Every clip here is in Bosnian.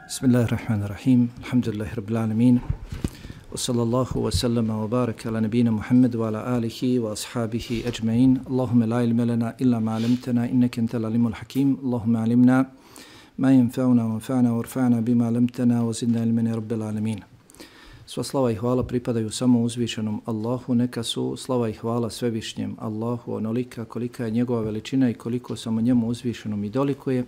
Bismillahirrahmanirrahim. Alhamdulillahi rabbil alamin. Wa sallallahu wa sallama wa baraka ala nabina Muhammad wa ala alihi wa ashabihi ajma'in. Allahumma la ilma lana illa ma 'allamtana innaka antal alimul hakim. Allahumma 'allimna ma yanfa'una wanfa'na warfa'na bima 'allamtana wa zidna ilman ya rabbil alamin. Sva slava i hvala pripadaju samo uzvišenom Allahu, neka su slava i hvala svevišnjem Allahu onolika kolika je njegova veličina i koliko samo njemu uzvišenom i dolikuje.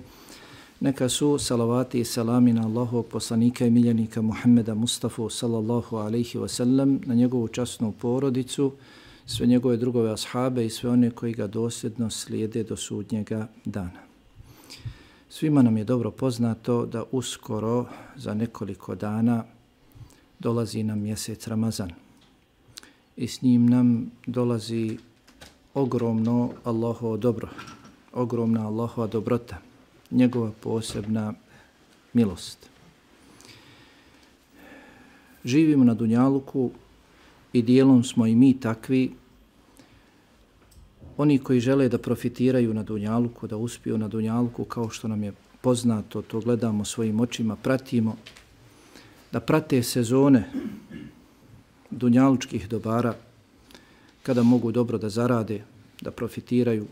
Neka su salavati i salami na Allahovog poslanika i miljenika Muhammeda Mustafa sallallahu alaihi wa sallam, na njegovu časnu porodicu, sve njegove drugove ashabe i sve one koji ga dosljedno slijede do sudnjega dana. Svima nam je dobro poznato da uskoro za nekoliko dana dolazi nam mjesec Ramazan i s njim nam dolazi ogromno Allahovo dobro, ogromna Allahova dobrota, njegova posebna milost. Živimo na dunjaluku i dijelom smo i mi takvi. Oni koji žele da profitiraju na dunjaluku, da uspiju na dunjaluku, kao što nam je poznato, to gledamo svojim očima, pratimo, da prate sezone dunjalučkih dobara, kada mogu dobro da zarade, da profitiraju,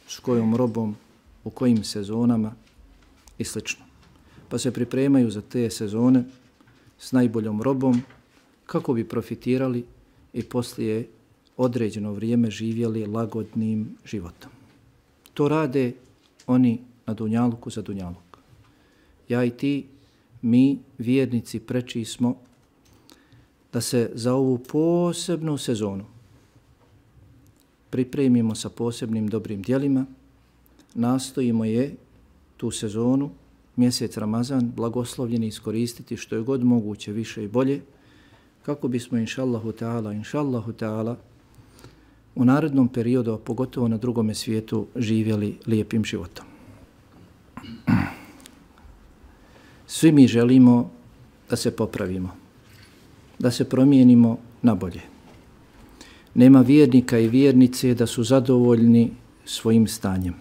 s kojom robom, u kojim sezonama i sl. Pa se pripremaju za te sezone s najboljom robom kako bi profitirali i poslije određeno vrijeme živjeli lagodnim životom. To rade oni na dunjaluku za dunjaluk. Ja i ti, mi vjernici, preči smo da se za ovu posebnu sezonu pripremimo sa posebnim dobrim djelima, nastojimo je tu sezonu, mjesec Ramazan, blagoslovljeni iskoristiti što je god moguće više i bolje, kako bismo inšallahu ta'ala u narednom periodu, a pogotovo na drugome svijetu, živjeli lijepim životom. Svi mi želimo da se popravimo, da se promijenimo na bolje. Nema vjernika i vjernice da su zadovoljni svojim stanjem.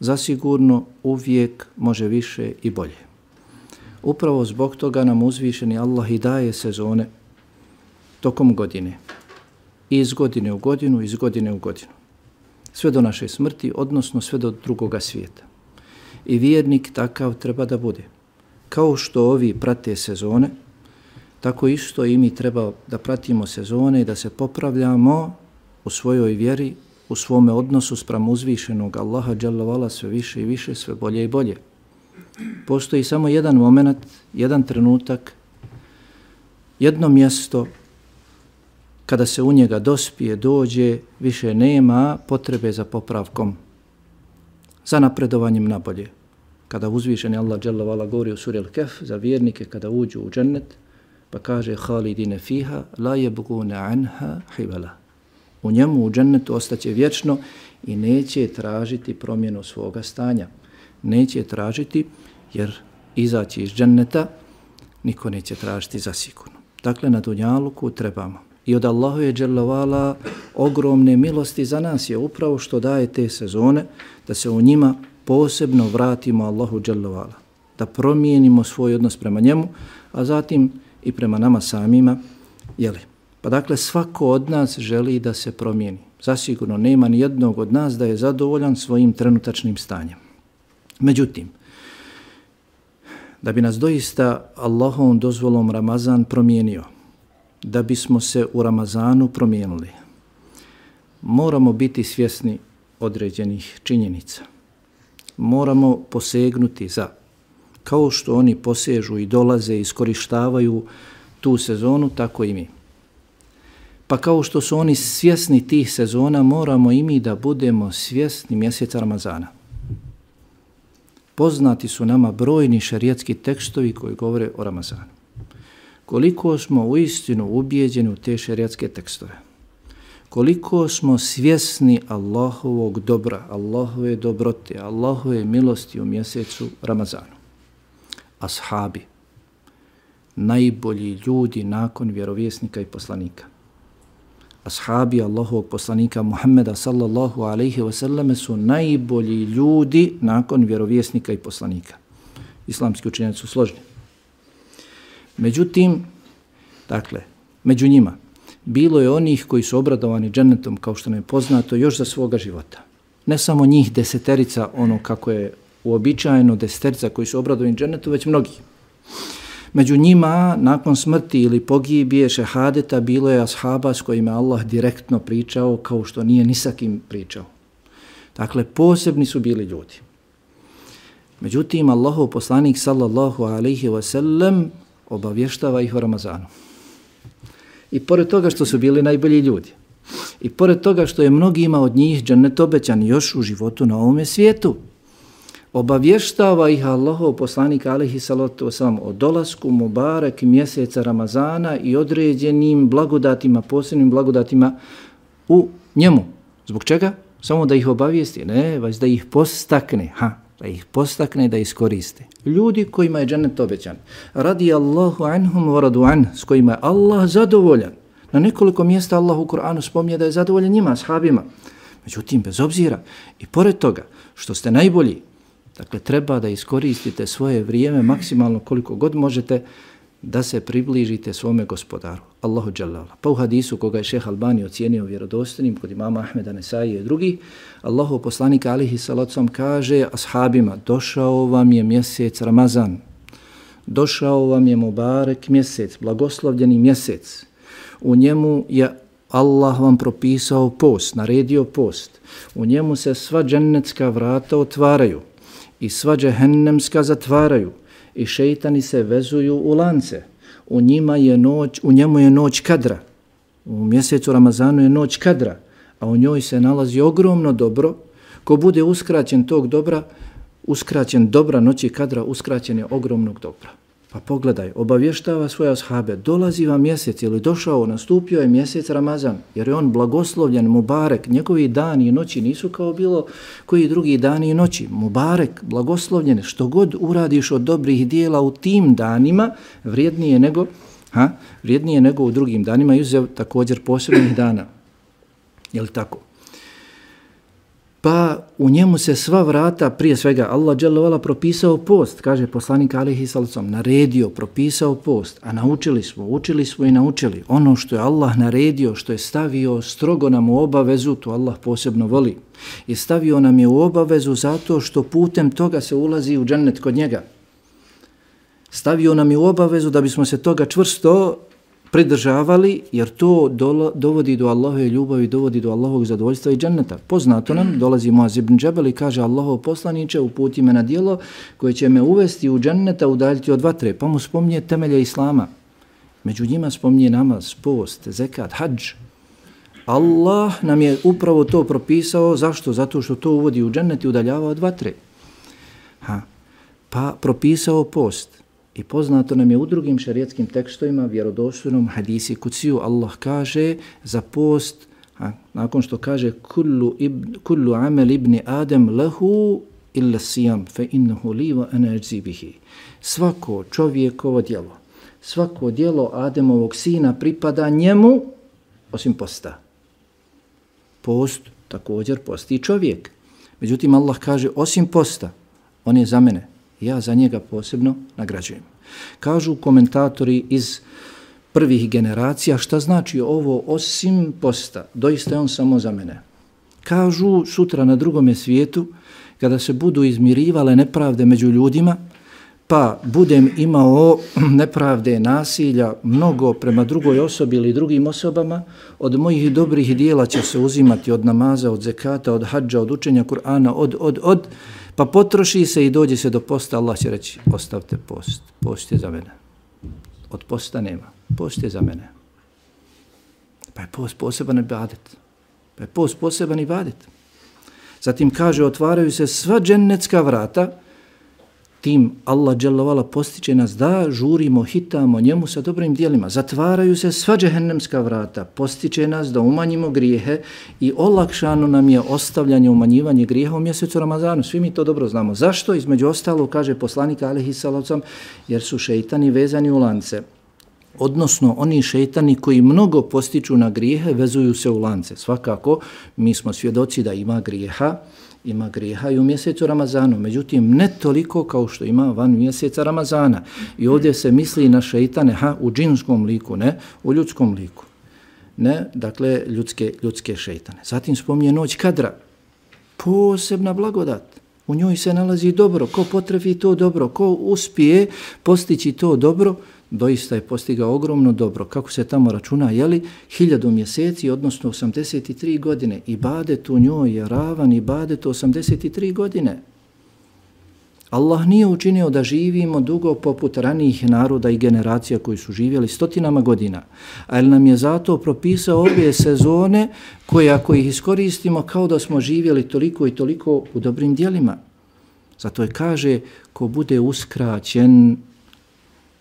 Zasigurno uvijek može više i bolje. Upravo zbog toga nam uzvišeni Allah i daje sezone tokom godine. Iz godine u godinu, iz godine u godinu. Sve do naše smrti, odnosno sve do drugoga svijeta. I vjernik takav treba da bude. Kao što ovi prate sezone, tako isto i mi treba da pratimo sezone i da se popravljamo u svojoj vjeri, u svome odnosu spram uzvišenog Allaha dželle vala sve više i više, sve bolje i bolje. Postoji samo jedan moment, jedan trenutak, jedno mjesto kada se u njega dospije, dođe, više nema potrebe za popravkom, za napredovanjem na bolje. Kada uzvišeni Allah dželle vala govori u suri Al-Kahf za vjernike kada uđu u džennet, pa kaže halidine fiha la yabghuna anha hiwala. U njemu, u džennetu, ostaće vječno i neće tražiti promjenu svoga stanja. Neće tražiti, jer izaći iz dženneta niko neće tražiti zasigurno. Dakle, na dunjaluku trebamo. I od Allahove dželle vala ogromne milosti za nas je upravo što daje te sezone, da se u njima posebno vratimo Allahu dželle vala, da promijenimo svoj odnos prema njemu, a zatim i prema nama samima, jeli? Pa dakle, svako od nas želi da se promijeni. Zasigurno nema ni jednog od nas da je zadovoljan svojim trenutačnim stanjem. Međutim, da bi nas doista Allahovom dozvolom Ramazan promijenio, da bismo se u Ramazanu promijenili, moramo biti svjesni određenih činjenica. Moramo posegnuti za, kao što oni posežu i dolaze i iskorištavaju tu sezonu, tako i mi. Pa kao što su oni svjesni tih sezona, moramo i mi da budemo svjesni mjeseca Ramazana. Poznati su nama brojni šerijatski tekstovi koji govore o Ramazanu. Koliko smo uistinu ubijeđeni u te šerijatske tekstove, koliko smo svjesni Allahovog dobra, Allahove dobrote, Allahove milosti u mjesecu Ramazanu. Ashabi, najbolji ljudi nakon vjerovjesnika i poslanika. Ashabi Allahovog poslanika Muhammeda sallallahu alaihi wa sallam su najbolji ljudi nakon vjerovjesnika i poslanika. islamski učenjaci su složni. Međutim, dakle, među njima bilo je onih koji su obradovani džennetom, kao što nam je poznato, još za svoga života. Ne samo njih 10, ono kako je uobičajeno 10 koji su obradovani džennetom, već mnogi. Među njima, nakon smrti ili pogibije šehadeta, bilo je ashaba s kojima Allah direktno pričao, kao što nije ni sa kim pričao. Dakle, posebni su bili ljudi. Međutim, Allahov poslanik sallallahu alaihi wa sallam obavještava ih o Ramazanu. I pored toga što su bili najbolji ljudi, i pored toga što je mnogima od njih džennet obećan još u životu na ovome svijetu, obavještava ih Allahov poslanik alejhi salatu vesselam o dolasku mubarek mjeseca Ramazana i određenim blagodatima, posebnim blagodatima u njemu. Zbog čega? Samo da ih obavijesti? Ne, već da ih postakne, da ih postakne da iskoriste. Ljudi kojima je džennet obećan. Radi Allahu anhum wa radu an, s kojima je Allah zadovoljan. Na nekoliko mjesta Allah u Kur'anu spominje da je zadovoljan njima, ashabima. Međutim, bez obzira i pored toga što ste najbolji, dakle, treba da iskoristite svoje vrijeme maksimalno koliko god možete da se približite svome gospodaru, Allahu dželle. Pa u hadisu koga je šejh Albani ocijenio vjerodostojnim kod imama Ahmeda, Nesaije i drugi, Allahov poslanik alejhi salatu vesselam kaže ashabima: došao vam je mjesec Ramazan, došao vam je mubarek mjesec, blagoslovljeni mjesec. U njemu je Allah vam propisao post, naredio post. U njemu se sva džennetska vrata otvaraju i sva džehennemska zatvaraju i šejtani se vezuju u lance. U njemu je noć kadra. U mjesecu Ramazanu je noć kadra, a u njoj se nalazi ogromno dobro. Ko bude uskraćen tog dobra, uskraćen dobra noći kadra, uskraćen je ogromnog dobra. Pa pogledaj, obavještava svoje ashabe, dolazi vam mjesec, ili došao, nastupio je mjesec Ramazan, jer je on blagoslovljen, mubarek, njegovi dani i noći nisu kao bilo koji drugi dani i noći. Mubarek, blagoslovljen, što god uradiš od dobrih dijela u tim danima, vrijednije nego u drugim danima, izuzev također posebnih dana. Je li tako? Pa u njemu se sva vrata, prije svega Allah dželle vala propisao post, kaže poslanik alejhi salatu vesselam, naredio, propisao post, a učili smo i naučili. Ono što je Allah naredio, što je stavio strogo nam u obavezu, to Allah posebno voli. I stavio nam je u obavezu zato što putem toga se ulazi u džennet kod njega. Stavio nam je u obavezu da bismo se toga čvrsto pridržavali, jer to dovodi do Allahove ljubavi, dovodi do Allahovog zadovoljstva i dženneta. Poznato nam, dolazi Muaz ibn Džebel i kaže: Allahov poslaniče, uputi me na djelo koje će me uvesti u dženneta, udaljiti od vatre. Pa mu spominje temelje Islama. Među njima spominje namaz, post, zekat, hadž. Allah nam je upravo to propisao. Zašto? Zato što to uvodi u džennet i udaljava od vatre. Pa propisao post. I poznato nam je u drugim šerijetskim tekstovima, vjerodostojnom hadisi kuciju, Allah kaže za post, nakon što kaže kullu amel ibni Adem lehu illa sijam fe innahu li wa ana ajzi bihi. Svako čovjekovo djelo, svako djelo Ademovog sina pripada njemu osim posta. Post također posti čovjek. Međutim, Allah kaže osim posta, on je za mene. Ja za njega posebno nagrađujem. Kažu komentatori iz prvih generacija, šta znači ovo osim posta? Doista je on samo za mene. Kažu sutra na drugome svijetu, kada se budu izmirivale nepravde među ljudima, pa budem imao nepravde, nasilja, mnogo prema drugoj osobi ili drugim osobama, od mojih dobrih dijela će se uzimati od namaza, od zekata, od hadža, od učenja Kur'ana, pa potroši se i dođe se do posta, Allah će reći: ostavte post, post je za mene. Od posta nema, post je za mene. Pa je post poseban ibadet. Zatim kaže: otvaraju se sva džennetska vrata, tim Allah dželle vala postiče nas da žurimo, hitamo njemu sa dobrim djelima. Zatvaraju se sva džehennemska vrata, postiče nas da umanjimo grijehe i olakšano nam je ostavljanje, umanjivanje grijeha u mjesecu Ramazanu. Svi mi to dobro znamo. Zašto? Između ostalo, kaže poslanik alejhi salatu vesselam, jer su šejtani vezani u lance. odnosno oni šejtani koji mnogo postiču na grijehe, vezuju se u lance. Svakako, mi smo svjedoci da ima grijeha i u mjesecu Ramazanu, međutim ne toliko kao što ima van mjeseca Ramazana. I ovdje se misli na šejtane u džinskom liku, ne u ljudskom liku. Ne, dakle, ljudske šejtane. Zatim spominje noć Kadra, posebna blagodat. U njoj se nalazi dobro. Ko potrefi to dobro, ko uspije postići to dobro, doista je postigao ogromno dobro. Kako se tamo računa, 1000 mjeseci, odnosno 83 godine. Ibadet u njoj je ravan ibadet 83 godine. Allah nije učinio da živimo dugo poput ranijih naroda i generacija koji su živjeli stotinama godina, ali nam je zato propisao ove sezone koje ako ih iskoristimo kao da smo živjeli toliko i toliko u dobrim djelima. Zato je kaže, ko bude uskraćen,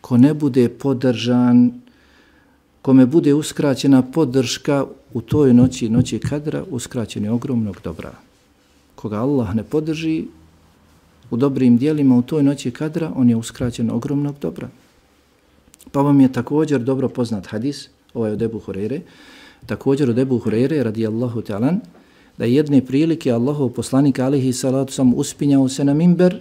ko ne bude podržan, kome bude uskraćena podrška u toj noći Kadra, uskraćen je ogromnog dobra. Koga Allah ne podrži u dobrim dijelima u toj noći Kadra, on je uskraćen ogromnog dobra. Pa vam je također dobro poznat hadis, ovaj od Ebu Hureyre, također od Ebu Hureyre radijallahu ta'ala, da jedne prilike Allahov poslanik alejhi salatu sam uspinjao se na mimber,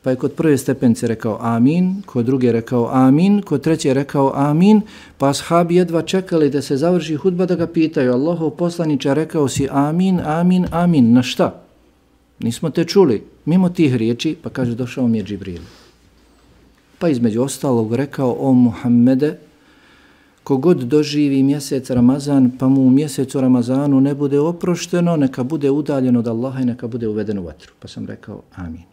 pa je kod prve stepenice rekao amin, kod druge rekao amin, kod treće rekao amin, pa ashabi jedva čekali da se završi hudba da ga pitaju, Allahov poslaniče, rekao si amin, amin, amin, na šta? Nismo te čuli, mimo tih riječi, pa kaže, došao mi je Džibril. Pa između ostalog rekao, o Muhammede, kogod doživi mjesec Ramazan, pa mu u mjesecu Ramazanu ne bude oprošteno, neka bude udaljen od Allaha i neka bude uveden u vatru. Pa sam rekao, amin.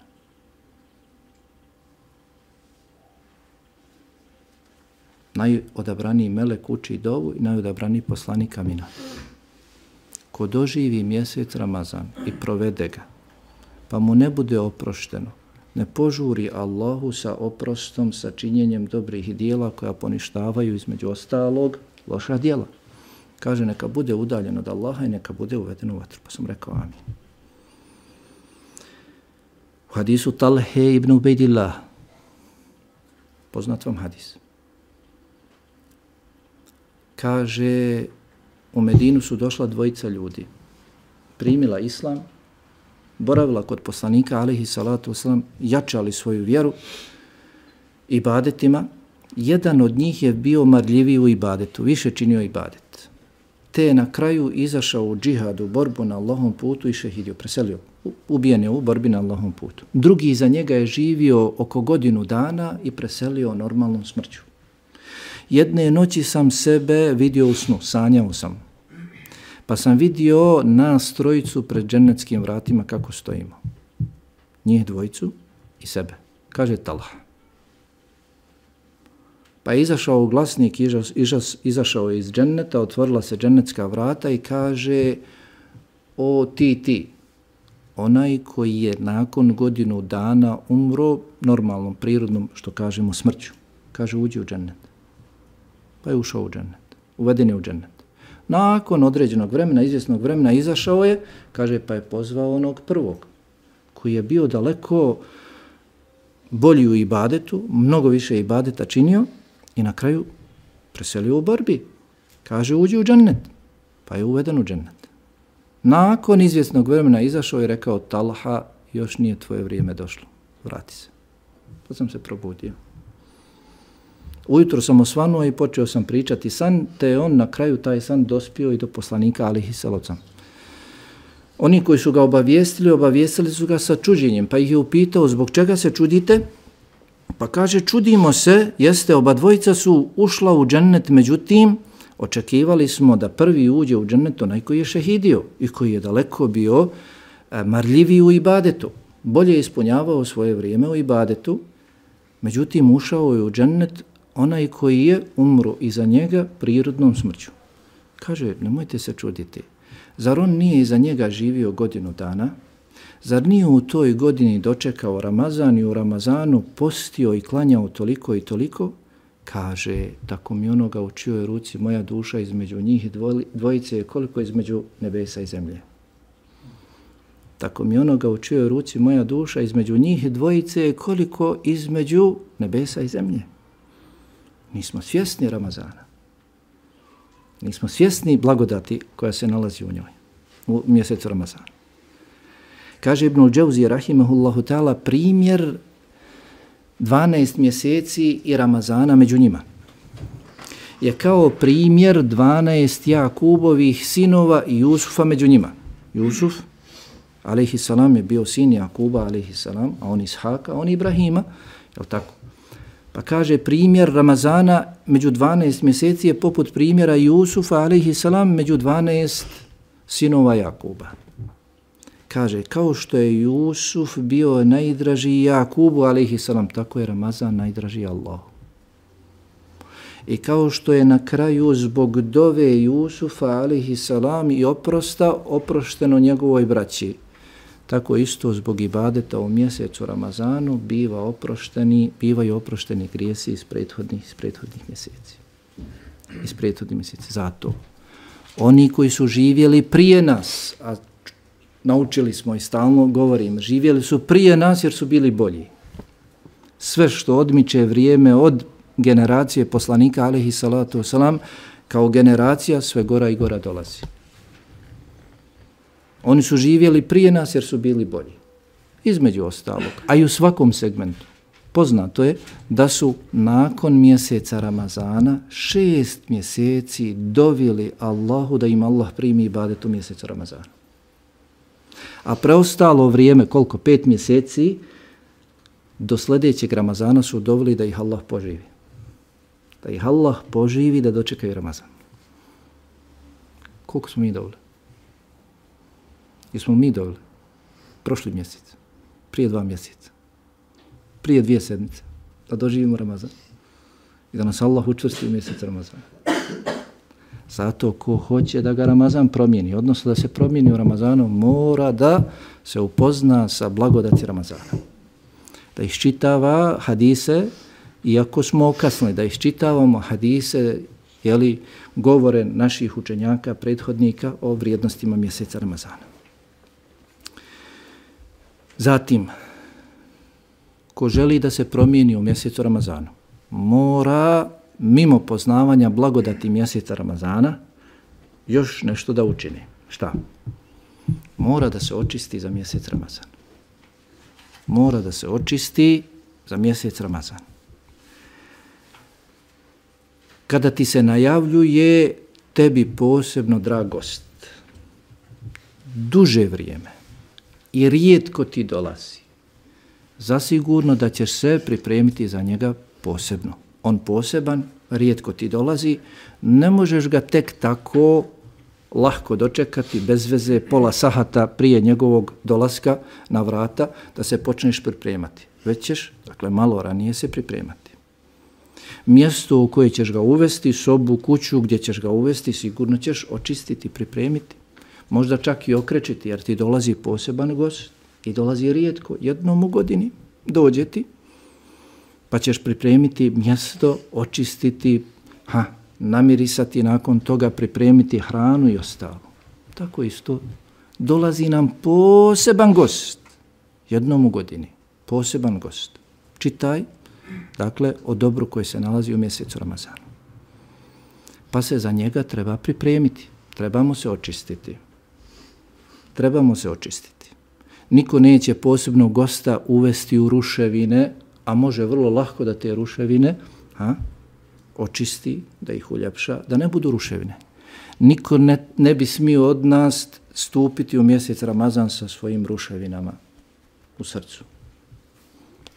Najodabraniji melek uči dovu i najodabraniji poslanik amina. Ko doživi mjesec Ramazan i provede ga, pa mu ne bude oprošteno, ne požuri Allahu sa oprostom, sa činjenjem dobrih dijela koja poništavaju između ostalog loša dijela. Kaže, neka bude udaljen od Allaha i neka bude uveden u vatru. Pa sam rekao amin. U hadisu Talhe ibn Ubejdillah, poznat vam hadis, kaže, u Medinu su došla dvojica ljudi, primila islam, boravila kod poslanika alejhi salatu vesselam, jačali svoju vjeru ibadetima. Jedan od njih je bio marljiviji u ibadetu, više činio ibadet. Te je na kraju izašao u džihadu, borbu na Allahovom putu i šehidio, preselio, ubijen je u borbi na Allahovom putu. Drugi iza njega je živio oko godinu dana i preselio normalnom smrću. Jedne noći sam sebe vidio u snu, sanjao sam. Pa sam vidio nas trojicu pred džennetskim vratima kako stojimo. Njih dvojicu i sebe. Kaže Talha. Pa je izašao glasnik, izašao je iz dženneta, otvorila se džennetska vrata i kaže, o ti, onaj koji je nakon godinu dana umro normalnom, prirodnom, što kažemo, smrću. Kaže, uđi u džennet. Pa je ušao u džennet. Uveden je u džennet. Nakon određenog vremena, izvjesnog vremena, izašao je, kaže, pa je pozvao onog prvog, koji je bio daleko bolji u ibadetu, mnogo više ibadeta činio i na kraju preselio u borbi. Kaže, uđi u džennet, pa je uveden u džennet. Nakon izvjesnog vremena izašao i rekao, Talha, još nije tvoje vrijeme došlo, vrati se. Pa sam se probudio. Ujutro sam osvanuo i počeo sam pričati san, te je on na kraju taj san dospio i do poslanika alejhi salatu vesselam. Oni koji su ga obavijestili su ga sa čuđenjem, pa ih je upitao, zbog čega se čudite? Pa kaže, čudimo se, jeste, oba dvojica su ušla u džennet, međutim, očekivali smo da prvi uđe u džennet onaj koji je šehidio i koji je daleko bio marljiviji u ibadetu, bolje ispunjavao svoje vrijeme u ibadetu, međutim, ušao je u džennet onaj koji je umro iza njega prirodnom smrću. Kaže, nemojte se čuditi. Zar on nije iza njega živio godinu dana? Zar nije u toj godini dočekao Ramazan i u Ramazanu postio i klanjao toliko i toliko? Kaže, tako mi onoga u čijoj ruci moja duša između njih dvojice je koliko između nebesa i zemlje. Tako mi onoga u čijoj ruci moja duša između njih dvojice je koliko između nebesa i zemlje. Nismo svjesni Ramazana. Nismo svjesni blagodati koja se nalazi u njoj, u mjesecu Ramazana. Kaže Ibnul Džauzi rahimehullahu ta'ala, primjer 12 mjeseci i Ramazana među njima je kao primjer 12 Jakubovih sinova i Jusufa među njima. Jusuf, alejhiselam, je bio sin Jakuba, alejhiselam, a on Ishaka, a on Ibrahima, je li tako? Pa kaže, primjer Ramazana među 12 mjeseci je poput primjera Jusufa, alejhiselam, među 12 sinova Jakuba. Kaže, kao što je Jusuf bio najdraži Jakubu, alejhiselam, tako je Ramazan najdraži Allahu. I kao što je na kraju zbog dove Jusufa, alejhiselam, i oprošteno njegovoj braći, tako isto zbog ibadeta u mjesecu Ramazanu bivaju oprošteni grijesi iz prethodnih mjeseci. Iz prethodnih mjeseci. Zato oni koji su živjeli prije nas, a naučili smo i stalno govorim, živjeli su prije nas jer su bili bolji. Sve što odmiče vrijeme od generacije poslanika, alejhi salatu wasalam, kao generacija sve gora i gora dolazi. Oni su živjeli prije nas jer su bili bolji. Između ostalog, a i u svakom segmentu. Poznato je da su nakon mjeseca Ramazana 6 mjeseci dovili Allahu da im Allah primi ibadet u mjesecu Ramazana. A preostalo vrijeme, koliko? 5 mjeseci, do sljedećeg Ramazana su dovili da ih Allah poživi. Da ih Allah poživi da dočekaju Ramazan. Koliko smo mi dovili? Jesmo mi dovili? Prošli mjesec, prije 2 mjeseca, prije 2 sedmice, da doživimo Ramazan i da nas Allah učvrsti u mjesec Ramazana. Zato ko hoće da ga Ramazan promijeni, odnosno da se promijeni u Ramazanu, mora da se upozna sa blagodati Ramazana. Da iščitava hadise, iako smo okasnili, da iščitavamo hadise, govore naših učenjaka, prethodnika o vrijednostima mjeseca Ramazana. Zatim, ko želi da se promijeni u mjesecu Ramazanu, mora mimo poznavanja blagodati mjeseca Ramazana još nešto da učini. Šta? Mora da se očisti za mjesec Ramazan. Mora da se očisti za mjesec Ramazan. Kada ti se najavljuje tebi posebno drag gost, duže vrijeme i rijetko ti dolazi, zasigurno da ćeš se pripremiti za njega posebno. On poseban, rijetko ti dolazi, ne možeš ga tek tako lahko dočekati bez veze pola sahata prije njegovog dolaska na vrata da se počneš pripremati. Već ćeš, dakle, malo ranije se pripremati. Mjesto u koje ćeš ga uvesti, sobu, kuću gdje ćeš ga uvesti, sigurno ćeš očistiti, pripremiti. Možda čak i okrečiti, jer ti dolazi poseban gost i dolazi rijetko, jednom u godini dođe ti, pa ćeš pripremiti mjesto, očistiti, namirisati, nakon toga pripremiti hranu i ostalo. Tako isto dolazi nam poseban gost, jednom u godini, poseban gost. Čitaj, dakle, o dobru koji se nalazi u mjesecu Ramazanu. Pa se za njega treba pripremiti, trebamo se očistiti. Trebamo se očistiti. Niko neće posebnog gosta uvesti u ruševine, a može vrlo lahko da te ruševine očisti, da ih uljepša, da ne budu ruševine. Niko ne bi smio od nas stupiti u mjesec Ramazan sa svojim ruševinama u srcu,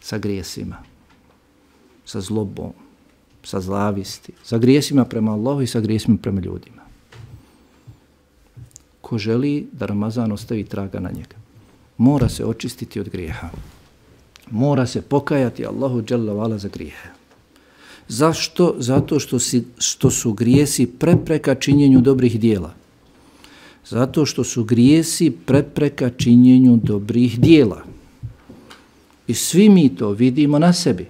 sa grijesima, sa zlobom, sa zavisti, sa grijesima prema Allahu i sa grijesima prema ljudima. Ko želi da Ramazan ostavi traga na njega, mora se očistiti od grijeha. Mora se pokajati Allahu dželle ve ala za grijehe. Zašto? Zato što su grijesi prepreka činjenju dobrih dijela. Zato što su grijesi prepreka činjenju dobrih dijela. I svi mi to vidimo na sebi.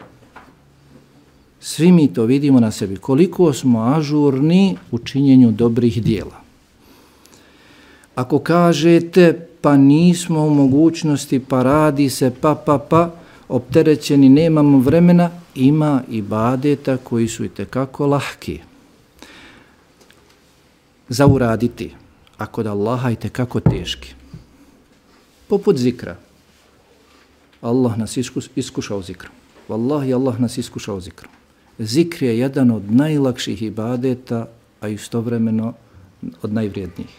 Svi mi to vidimo na sebi. Koliko smo ažurni u činjenju dobrih dijela. Ako kažete pa nismo u mogućnosti, pa radi se, pa, opterećeni, nemamo vremena, ima ibadeta koji su itekako lahki za uraditi, a kod Allaha itekako teški. Poput zikra. Allah nas iskušao zikrom. Wallahi, Allah nas iskušao zikrom. Zikr je jedan od najlakših ibadeta, a istovremeno od najvrijednijih.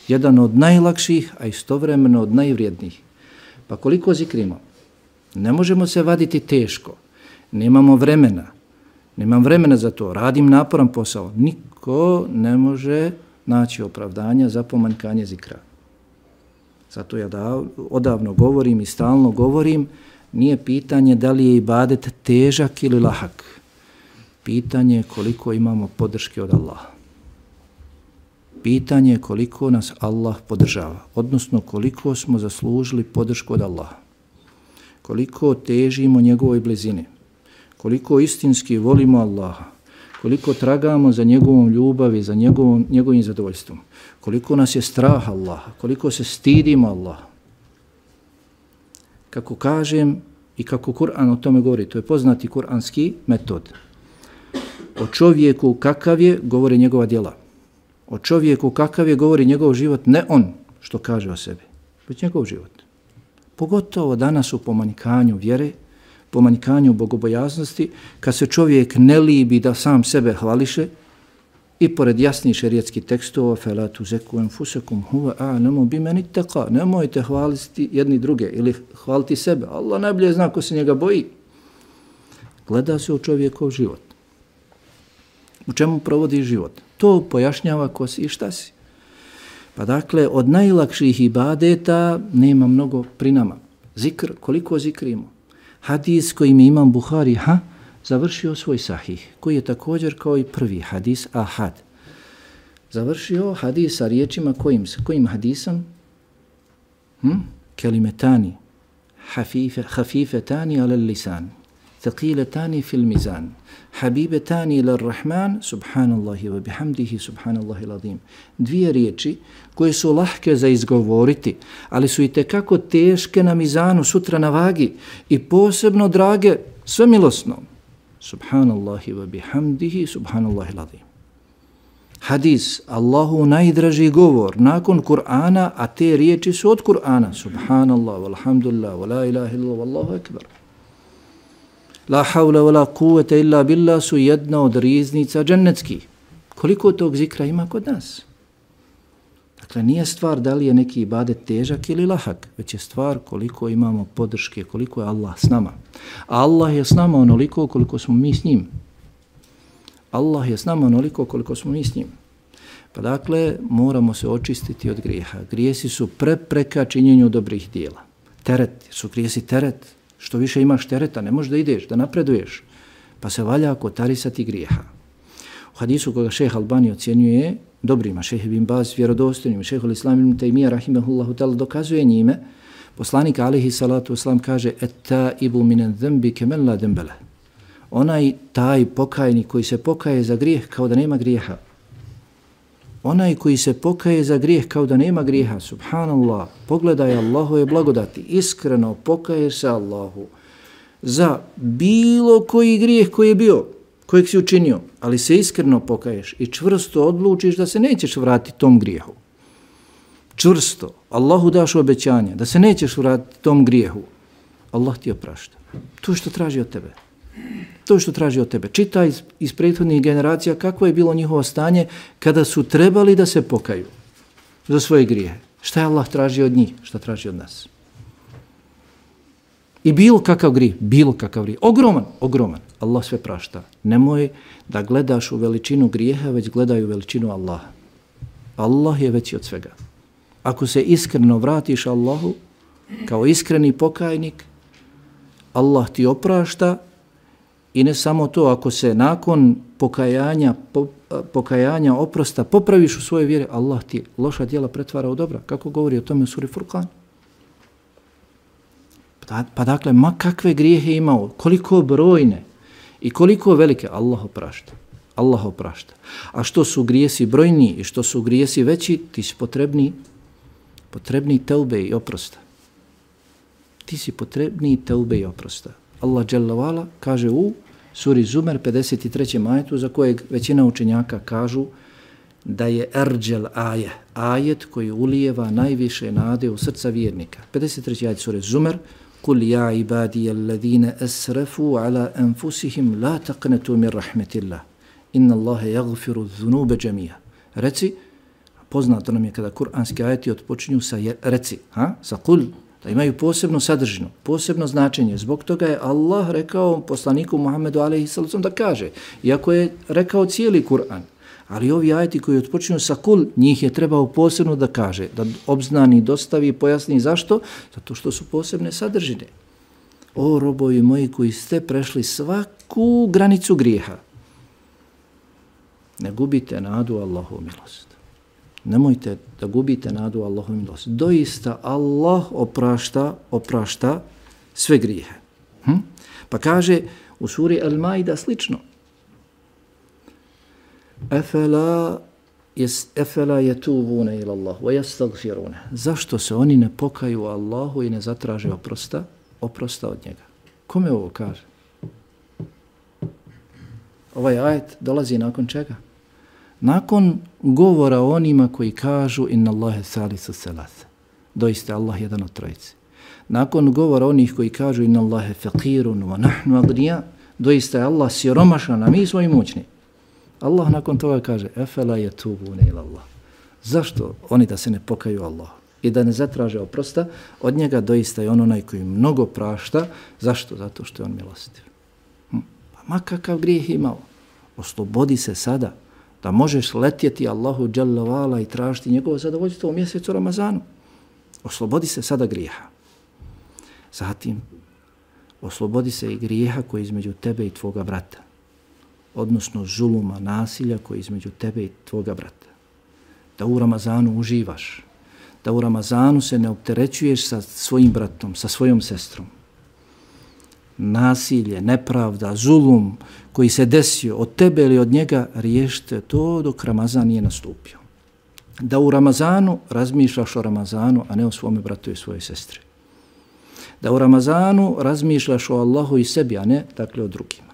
Jedan od najlakših, a istovremeno od najvrijednijih. Pa koliko zikrimo? Ne možemo se vaditi teško. Nemamo vremena. Nemam vremena za to. Radim naporan posao. Niko ne može naći opravdanja za pomanjkanje zikra. Zato ja odavno govorim i stalno govorim, nije pitanje da li je ibadet težak ili lahak. Pitanje je koliko imamo podrške od Allaha. Pitanje je koliko nas Allah podržava, odnosno koliko smo zaslužili podršku od Allaha. Koliko težimo njegovoj blizini, koliko istinski volimo Allaha, koliko tragamo za njegovom ljubavi, za njegovim zadovoljstvom, koliko nas je strah Allaha, koliko se stidimo Allaha. Kako kažem i kako Kur'an o tome govori, to je poznati kur'anski metod. O čovjeku kakav je, govori njegova djela. O čovjeku kakav je, govori njegov život, ne on što kaže o sebi, već njegov život. Pogotovo danas u pomanjkanju vjere, pomanjkanju bogobojaznosti, kad se čovjek ne libi da sam sebe hvališe i pored jasnih šerijetskih tekstova فَلَا تُزَكُوا أَنفُسَكُمْ هُوَ أَعْلَمُ بِمَنِ اتَّقَى. Nemojte hvaliti jedni druge ili hvaliti sebe. Allah najbolje zna ko se njega boji. Gleda se u čovjekov život. U čemu provodi život? To pojašnjava ko si i šta si. Pa dakle, od najlakših ibadeta nema mnogo pri nama. Zikr, koliko zikrimo? Hadis kojim imam Buhari završio svoj sahih, koji je također kao i prvi hadis ahad. Završio hadis sa riječima kojim hadisom? Kelimetani, hafifetani ala lisan, thaqiletani fil mizan, habibetani ila rahman, subhanallahi wa bihamdihi, subhanallahi l'azim. Dvije riječi koje su lahke za izgovoriti, ali su itekako teške na mizanu, sutra na vagi i posebno drage svemilosno. Subhanallahi wa bihamdihi, subhanallahi l'azim. Hadis, Allahu najdraži govor nakon Kur'ana, a te riječi su od Kur'ana. Subhanallah, walhamdulillah, wa la ilaha illa, wallahu akbar. La havla wa la kuvvete illa billah su jedna od riznica džennetskih. Koliko tog zikra ima kod nas? Dakle, nije stvar da li je neki ibadet težak ili lahak, već je stvar koliko imamo podrške, koliko je Allah s nama. A Allah je s nama onoliko koliko smo mi s njim. Allah je s nama onoliko koliko smo mi s njim. Pa dakle, moramo se očistiti od grijeha. Grijesi su prepreka činjenju dobrih dijela. Teret, su grijesi teret. Što više imaš tereta, ne možeš da ideš, da napreduješ. Pa se valja kotarisati grijeha. U hadisu koga šejh Albani ocjenjuje dobrima, šejh Ibn Baz vjerodostojnim, šejhul Islam ibn Tejmija rahimehullahu ta'ala dokazuje njime, poslanik alejhi salatu vesselam kaže et-taibu minan dhanbi kaman la dhanba lahu. Onaj taj pokajnik koji se pokaje za grijeh kao da nema grijeha. Onaj koji se pokaje za grijeh kao da nema grijeha, subhanallah, pogledaj Allahove blagodati, iskreno pokaješ se Allahu za bilo koji grijeh koji je bio, kojeg si učinio, ali se iskreno pokaješ i čvrsto odlučiš da se nećeš vratiti tom grijehu. Čvrsto, Allahu daš obećanje da se nećeš vratiti tom grijehu. Allah ti oprašta. To što traži od tebe. To što traži od tebe. Čitaj iz prethodnih generacija kako je bilo njihovo stanje kada su trebali da se pokaju za svoje grijehe. Šta je Allah traži od njih? Šta traži od nas? I bilo kakav grijeh. Ogroman. Allah sve prašta. Nemoj da gledaš u veličinu grijeha, već gledaj u veličinu Allaha. Allah je veći od svega. Ako se iskreno vratiš Allahu kao iskreni pokajnik, Allah ti oprašta. I ne samo to, ako se nakon pokajanja oprosta popraviš u svojoj vjeri, Allah ti loša djela pretvara u dobra. Kako govori o tome u suri Furqan? Pa dakle, ma kakve grijehe imao, koliko brojne i koliko velike, Allah oprašta. A što su grijesi brojni i što su grijesi veći, ti si potrebni teube i oprosta. Allah dželle ve ala kaže u suri Zumer 53. ajetu za kojeg većina učenjaka kažu da je erđel ajet koji ulijeva najviše nade u srca vjernika. 53. ajet sure Zumer Kul ja ibadija alladhina asrafu ala anfusihim la taqnatu min rahmetillah. Inna Allahe yaghfiru dhunube džemija. Reci, poznato nam je kada kuranski ajeti odpočinju sa sa kul, da imaju posebnu sadržinu, posebno značenje. Zbog toga je Allah rekao poslaniku Muhammedu a.s. da kaže, iako je rekao cijeli Kur'an, ali ovi ajeti koji odpočinju sa kul, njih je trebao posebno da kaže, da obznani, dostavi, pojasni zašto? Zato što su posebne sadržine. O robovi moji koji ste prešli svaku granicu grijeha, ne gubite nadu Allahu milost. Nemojte da gubite nadu Allahu milost. Doista Allah oprašta sve grijehe. Pa kaže u suri Al-Maida slično. Efela yetubuna ila Allah wa yastaghfiruna. Zašto se oni ne pokaju Allahu i ne zatraže oprosta od njega? Kome ovo kaže? Ovaj ajet dolazi nakon čega? Nakon govora o onima koji kažu inna Allahe thalithu thalatha. Doista Allah jedan od trojice. Nakon govora onih koji kažu inna Allahe faqirun wa nahnu agniya. Doista je Allah siromašan, a mi smo imućni. Allah nakon toga kaže efela yetubuna ila Allah. Zašto oni da se ne pokaju Allahu i da ne zatraže oprosta od njega? Doista je on onaj koji mnogo prašta. Zašto? Zato što je on milostiv. Pa ma kakav grijeh imao, oslobodi se sada da možeš letjeti Allahu dželle ve ala i tražiti njegovo zadovoljstvo u mjesecu Ramazanu. Oslobodi se sada grijeha. Zatim, oslobodi se i grijeha koji je između tebe i tvoga brata. Odnosno zuluma, nasilja koji je između tebe i tvoga brata. Da u Ramazanu uživaš. Da u Ramazanu se ne opterećuješ sa svojim bratom, sa svojom sestrom. Nasilje, nepravda, zulum koji se desio od tebe ili od njega, riješite to dok Ramazan nije nastupio. Da u Ramazanu razmišljaš o Ramazanu, a ne o svome bratu i svojoj sestri. Da u Ramazanu razmišljaš o Allahu i sebi, a ne dakle o drugima.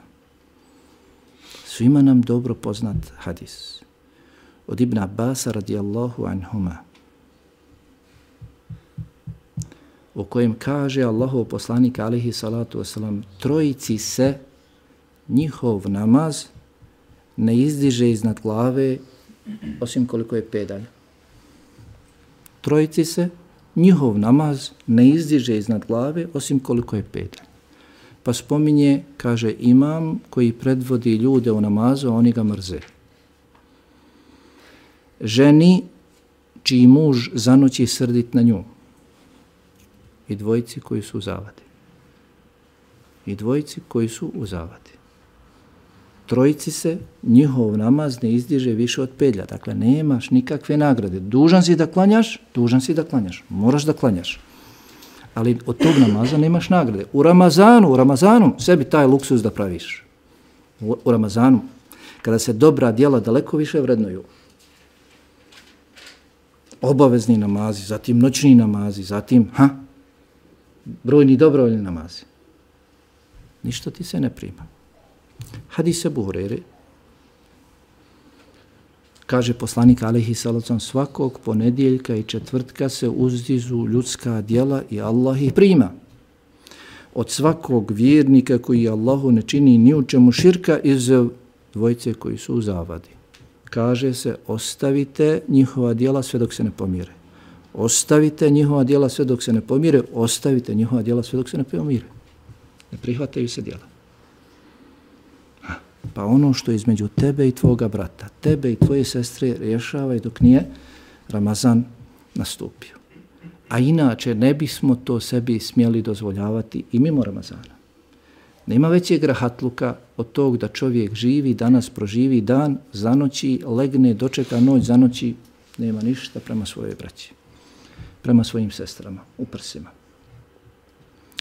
Svima nam dobro poznat hadis od Ibn Abbasa radijallahu anhuma, u kojem kaže Allahov poslanik alejhi salatu vesselam, trojici se njihov namaz ne izdiže iznad glave osim koliko je pedalj. Trojici se njihov namaz ne izdiže iznad glave osim koliko je pedalj. Pa spominje, kaže, imam koji predvodi ljude u namazu, a oni ga mrze. Ženi čiji muž zanoći srdit na nju. I dvojici koji su u zavadi. I dvojici koji su u zavadi. Trojici se njihov namaz ne izdiže više od pedlja. Dakle, nemaš nikakve nagrade. Dužan si da klanjaš. Moraš da klanjaš. Ali od tog namaza nemaš nagrade. U Ramazanu sebi taj luksuz da praviš. U Ramazanu, kada se dobra djela daleko više vrednuju. Obavezni namazi, zatim noćni namazi, zatim brojni dobrovoljni namazi. Ništa ti se ne prima. Hadis Ebu Hurajre, kaže poslanik alejhi salatu vesselam, svakog ponedjeljka i četvrtka se uzdižu ljudska djela i Allah ih prima. Od svakog vjernika koji Allahu ne čini ni u čemu širka, izuzev dvojice koji su u zavadi. Kaže se, ostavite njihova djela sve dok se ne pomire. Ostavite njihova djela sve dok se ne pomire. Ostavite njihova djela sve dok se ne pomire. Ne prihvataju se djela. Pa ono što je između tebe i tvoga brata, tebe i tvoje sestre, rješavaj dok nije Ramazan nastupio. A inače ne bismo to sebi smjeli dozvoljavati i mimo Ramazana. Nema većeg rahatluka od tog da čovjek živi, danas proživi dan, zanoći, legne, dočeka noć, zanoći, nema ništa prema svojoj braći, prema svojim sestrama, u prsima.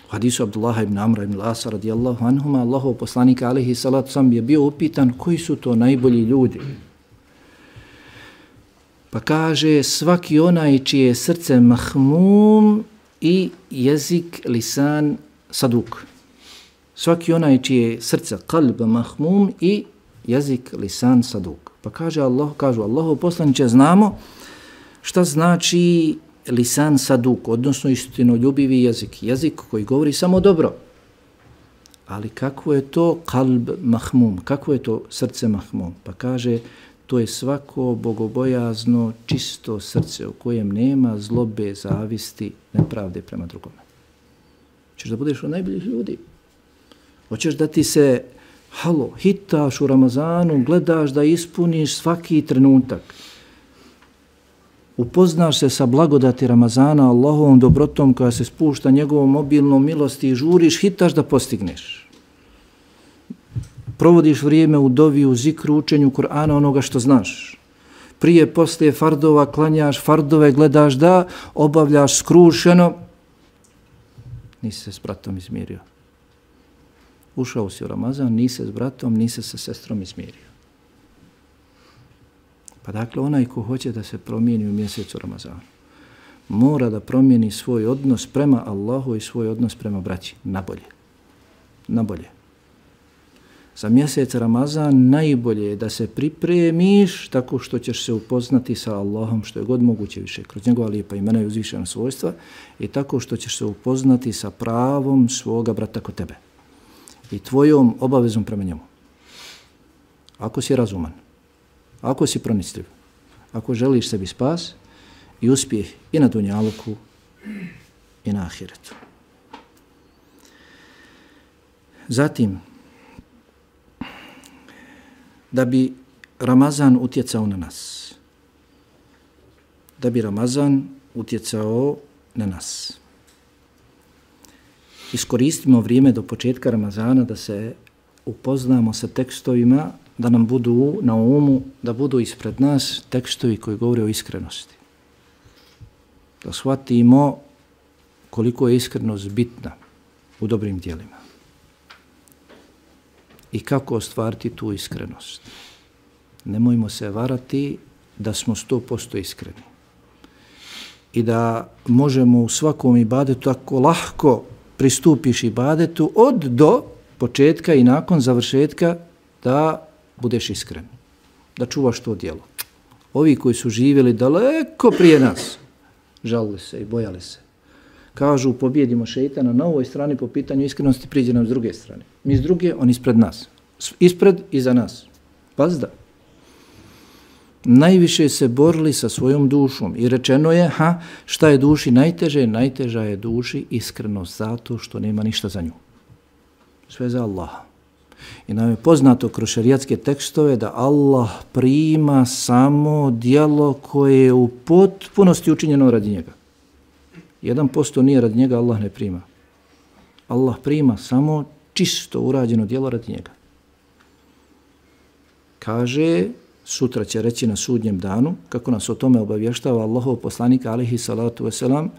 U hadisu Abdullaha ibn Amra ibn Lasa radijallahu anhuma, Allahov poslanika alejhi salatu vesselam je bio upitan koji su to najbolji ljudi. Pa kaže, svaki onaj čije je srce mahmum i jezik, lisan, saduk. Svaki onaj čije srce kalb mahmum i jezik lisan saduk. Pa kažu Allahu poslaniče, znamo šta znači lisan saduk, odnosno istinoljubivi jezik. Jezik koji govori samo dobro. Ali kako je to kalb mahmum? Kako je to srce mahmum? Pa kaže, to je svako bogobojazno, čisto srce u kojem nema zlobe, zavisti, nepravde prema drugome. Hoćeš da budeš od najboljih ljudi. Hoćeš da ti se, hitaš u Ramazanu, gledaš da ispuniš svaki trenutak. Upoznaš se sa blagodati Ramazana, Allahovom dobrotom koja se spušta njegovom obilnom milosti i žuriš, hitaš da postigneš. Provodiš vrijeme u dovi, u zikru, učenju Kur'ana, onoga što znaš. Prije, poslije fardova klanjaš fardove, gledaš da obavljaš skrušeno. Nisi se s bratom izmirio. Ušao si u Ramazan, nisi se s bratom, nisi se sa sestrom izmirio. Pa dakle, onaj ko hoće da se promijeni u mjesecu Ramazanu, mora da promijeni svoj odnos prema Allahu i svoj odnos prema braći. Nabolje. Nabolje. Za mjesec Ramazan najbolje je da se pripremiš tako što ćeš se upoznati sa Allahom što je god moguće više, kroz njegova lijepa imena i uzvišena svojstva, i tako što ćeš se upoznati sa pravom svoga brata kod tebe i tvojom obavezom prema njemu. Ako si razuman, ako si pronicljiv, ako želiš sebi spas i uspjeh i na dunjaluku i na ahiretu. Zatim, da bi Ramazan utjecao na nas. Da bi Ramazan utjecao na nas. Iskoristimo vrijeme do početka Ramazana da se upoznamo sa tekstovima, da nam budu na umu, da budu ispred nas tekstovi koji govore o iskrenosti. Da shvatimo koliko je iskrenost bitna u dobrim djelima. I kako ostvariti tu iskrenost. Nemojmo se varati da smo 100% iskreni. I da možemo u svakom ibadetu tako lahko pristupiš ibadetu od do početka i nakon završetka da budeš iskren. Da čuvaš to djelo. Ovi koji su živjeli daleko prije nas, žalili se i bojali se. Kažu, pobjedimo šeitana na ovoj strani po pitanju iskrenosti, priđe nam s druge strane. Mi s druge, on ispred nas. Ispred i za nas. Pazda. Najviše se borili sa svojom dušom i rečeno je, šta je duši najteže? Najteža je duši iskrenost zato što nema ništa za nju. Sve za Allaha. I nam je poznato kroz šerijatske tekstove da Allah prima samo djelo koje je u potpunosti učinjeno radi njega. 1% nije radi njega, Allah ne prima. Allah prima samo čisto urađeno djelo radi njega. Kaže, sutra će reći na sudnjem danu, kako nas o tome obavještava Allahov poslanik, alejhi salatu vesselam,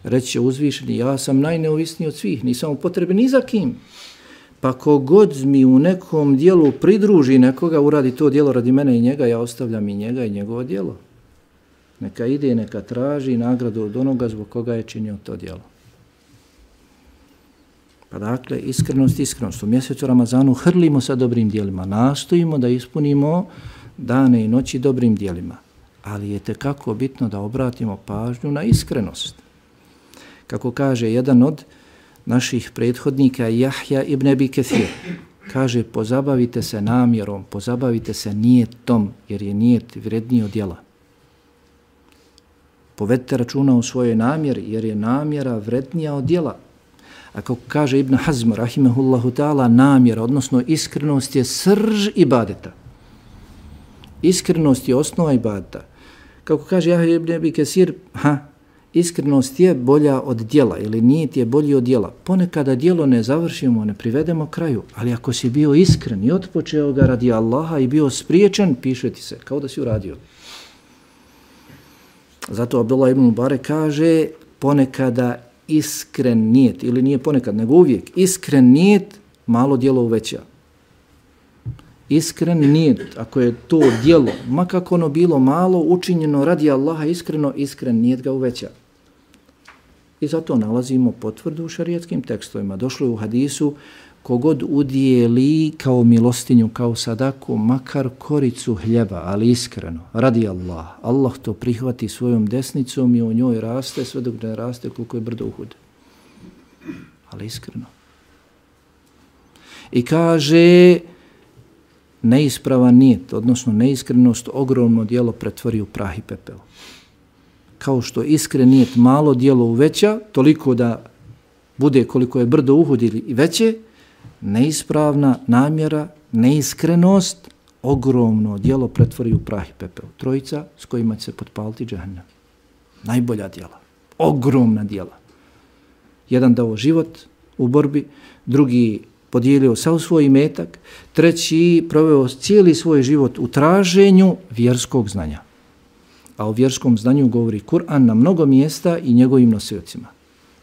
reći će uzvišeni, ja sam najneovisniji od svih, nisam u potrebi ni za kim. Pa kogod mi u nekom dijelu pridruži nekoga, uradi to djelo radi mene i njega, ja ostavljam i njega i njegovo djelo. Neka ide, neka traži nagradu od onoga zbog koga je činio to djelo. Pa dakle, iskrenost. U mjesecu Ramazanu hrlimo sa dobrim djelima, nastojimo da ispunimo dane i noći dobrim djelima. Ali je tekako bitno da obratimo pažnju na iskrenost. Kako kaže jedan od naših prethodnika, Jahja ibn Abi Kathir, kaže, pozabavite se namjerom, pozabavite se nijetom, jer je nijet vredniji od djela. Povedite računa u svojoj namjeri, jer je namjera vrednija od djela. A kako kaže Ibn Hazm, rahimehullahu ta'ala, namjera, odnosno iskrenost je srž ibadeta. Iskrenost je osnova ibadeta. Kako kaže Jahja ibn Abi Kathir, iskrenost je bolja od djela ili nijet je bolji od djela. Ponekada djelo ne završimo, ne privedemo kraju, ali ako si bio iskren i otpočeo ga radi Allaha i bio spriječen, piše ti se, kao da si uradio. Zato Abdullah ibn Mubarak kaže, ponekada iskren nijet, ili nije ponekad, nego uvijek, iskren nijet malo djelo uveća. Iskren nijet, ako je to djelo, ma kako ono bilo malo, učinjeno radi Allaha iskreno, iskren nijet ga uveća. I zato nalazimo potvrdu u šarijatskim tekstovima. Došlo je u hadisu, kogod udijeli kao milostinju, kao sadaku, makar koricu hljeba, ali iskreno, radi Allah. Allah to prihvati svojom desnicom i u njoj raste, sve dok ne raste koliko je brdo Uhud. Ali iskreno. I kaže, neispravan nijet, odnosno neiskrenost, ogromno djelo pretvori u prah i pepel. Kao što iskren nijet malo djelo uveća, toliko da bude koliko je brdo Uhud ili veće, neispravna namjera, neiskrenost, ogromno djelo pretvori u prah i pepel. Trojica s kojima će se potpaliti džahannam. Najbolja djela, ogromna djela. Jedan dao život u borbi, drugi podijelio sav svoj imetak, treći proveo cijeli svoj život u traženju vjerskog znanja. A o vjerskom znanju govori Kur'an na mnogo mjesta i njegovim nosiocima.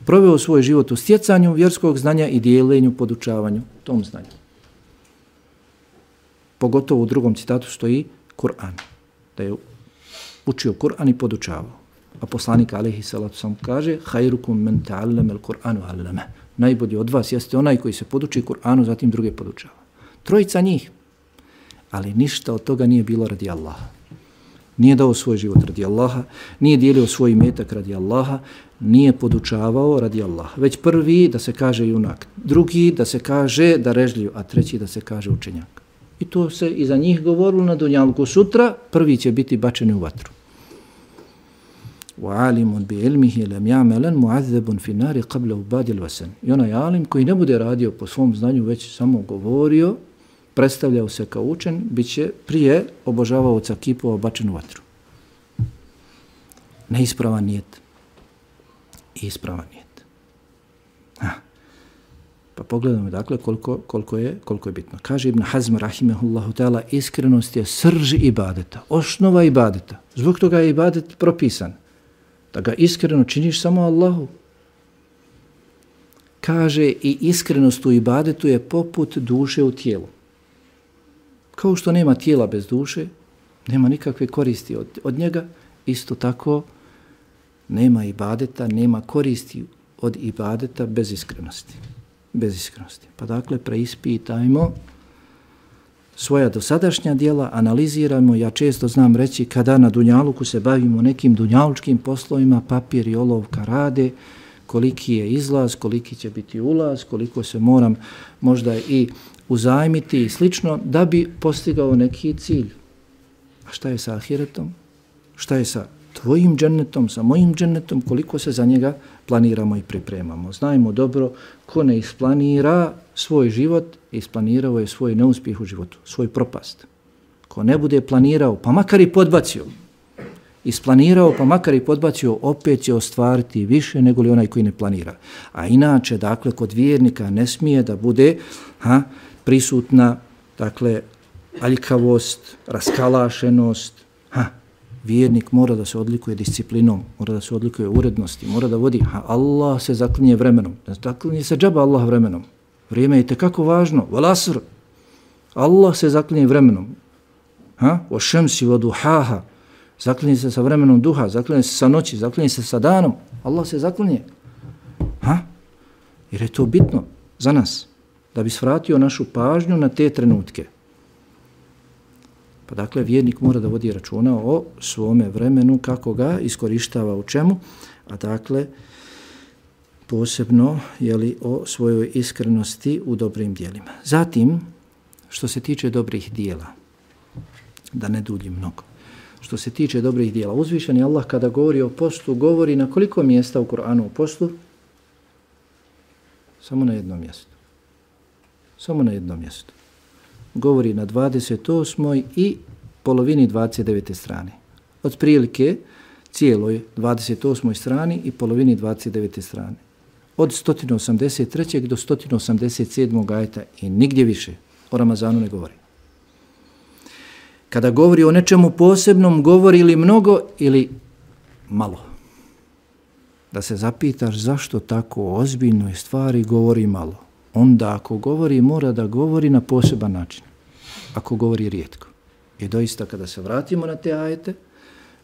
Proveo svoj život u stjecanju vjerskog znanja i dijelenju, podučavanju tom znanju. Pogotovo u drugom citatu stoji Kur'an, da je učio Kur'an i podučavao. A poslanik alejhi salatu vesselam kaže: "Khairukum man ta'allama al-Qur'ana wa 'allama." Najbolji od vas jeste onaj koji se poduči Kur'anu, zatim druge podučava. Trojica njih. Ali ništa od toga nije bilo radi Allaha. Nije dao svoj život radi Allaha, nije dijelio svoj imetak radi Allaha, nije podučavao radi Allaha. Već prvi da se kaže junak, drugi da se kaže darežljiv, a treći da se kaže učenjak. I to se i za njih govorilo na dunjalku. Sutra prvi će biti bačeni u vatru. وَعَالِمٌ بِعِلْمِهِ لَمْ يَعْمَلًا مُعَذَّبٌ فِي النَّارِ قَبْلَ عُبَادِ الْوَسَنِ. I onaj alim koji ne bude radio po svom znanju, već samo govorio, predstavljao se kao učen, bit će prije obožavaoca kipova bačen u vatru. Neispravan nijet. Ispravan nijet. Pa pogledamo dakle koliko je bitno. Kaže Ibn Hazm rahimehullahu ta'ala, iskrenost je srž ibadeta, osnova ibadeta. Zbog toga je ibadet propisan. Da ga iskreno činiš samo Allahu. Kaže i iskrenost u ibadetu je poput duše u tijelu. Kao što nema tijela bez duše, nema nikakve koristi od njega, isto tako nema ibadeta, nema koristi od ibadeta bez iskrenosti. Bez iskrenosti. Pa dakle, preispitajmo svoja dosadašnja djela, analiziramo. Ja često znam reći, kada na dunjaluku se bavimo nekim dunjalučkim poslovima, papir i olovka rade, koliki je izlaz, koliki će biti ulaz, koliko se moram možda i uzajmiti i slično, da bi postigao neki cilj. A šta je sa ahiretom? Šta je sa tvojim džennetom, sa mojim džennetom, koliko se za njega planiramo i pripremamo? Znajmo dobro, ko ne isplanira svoj život, isplanirao je svoj neuspjeh u životu, svoj propast. Ko ne bude planirao, pa makar i podbacio, isplanirao, pa makar i podbacio, opet će ostvariti više nego li onaj koji ne planira. A inače, dakle, kod vjernika ne smije da bude prisutna, dakle, aljkavost, raskalašenost. Vjernik mora da se odlikuje disciplinom, mora da se odlikuje urednosti, mora da vodi, Allah se zaklinje vremenom. Ne zaklinje se džaba Allah vremenom. Vrijeme je tekako važno. Wal asr. Allah se zaklinje vremenom. O šemsi, o duhaha. Zaklinje se sa vremenom duha, zaklinje se sa noći, zaklinje se sa danom. Allah se zaklinje. Jer je to bitno za nas, da bi svratio našu pažnju na te trenutke. Pa dakle, vjernik mora da vodi računa o svome vremenu, kako ga iskorištava u čemu, a dakle, posebno o svojoj iskrenosti u dobrim dijelima. Zatim, što se tiče dobrih dijela, da ne duljim mnogo, što se tiče dobrih dijela, uzvišeni Allah kada govori o postu, govori na koliko mjesta u Kur'anu o postu? Samo na jednom mjestu. Samo na jednom mjestu. Govori na 28. i polovini 29. strane. Od prilike cijeloj 28. strani i polovini 29. strane. Od 183. do 187. ajeta i nigdje više. O Ramazanu ne govori. Kada govori o nečemu posebnom, govori ili mnogo ili malo. Da se zapitaš zašto tako ozbiljnoj stvari govori malo. Onda ako govori, mora da govori na poseban način. Ako govori rijetko. I doista kada se vratimo na te ajete,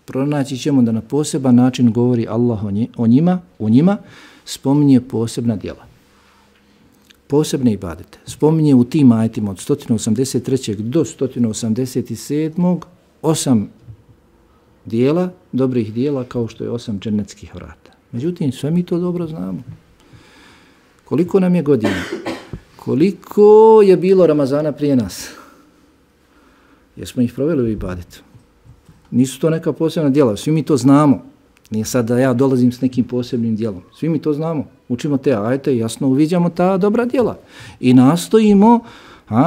pronaći ćemo da na poseban način govori Allah o njima, spominje posebna djela. posebne ibadete. Spominje u tim ajetima od 183. do 187. 8 dijela, dobrih dijela, kao što je 8 džennetskih vrata. Međutim, sve mi to dobro znamo. Koliko nam je godina? Koliko je bilo Ramazana prije nas? Jesmo ih proveli u ibadetu? Nisu to neka posebna djela, svi mi to znamo. Nije sad da ja dolazim s nekim posebnim djelom. Svi mi to znamo. Učimo te ajete i jasno uviđamo ta dobra djela. I nastojimo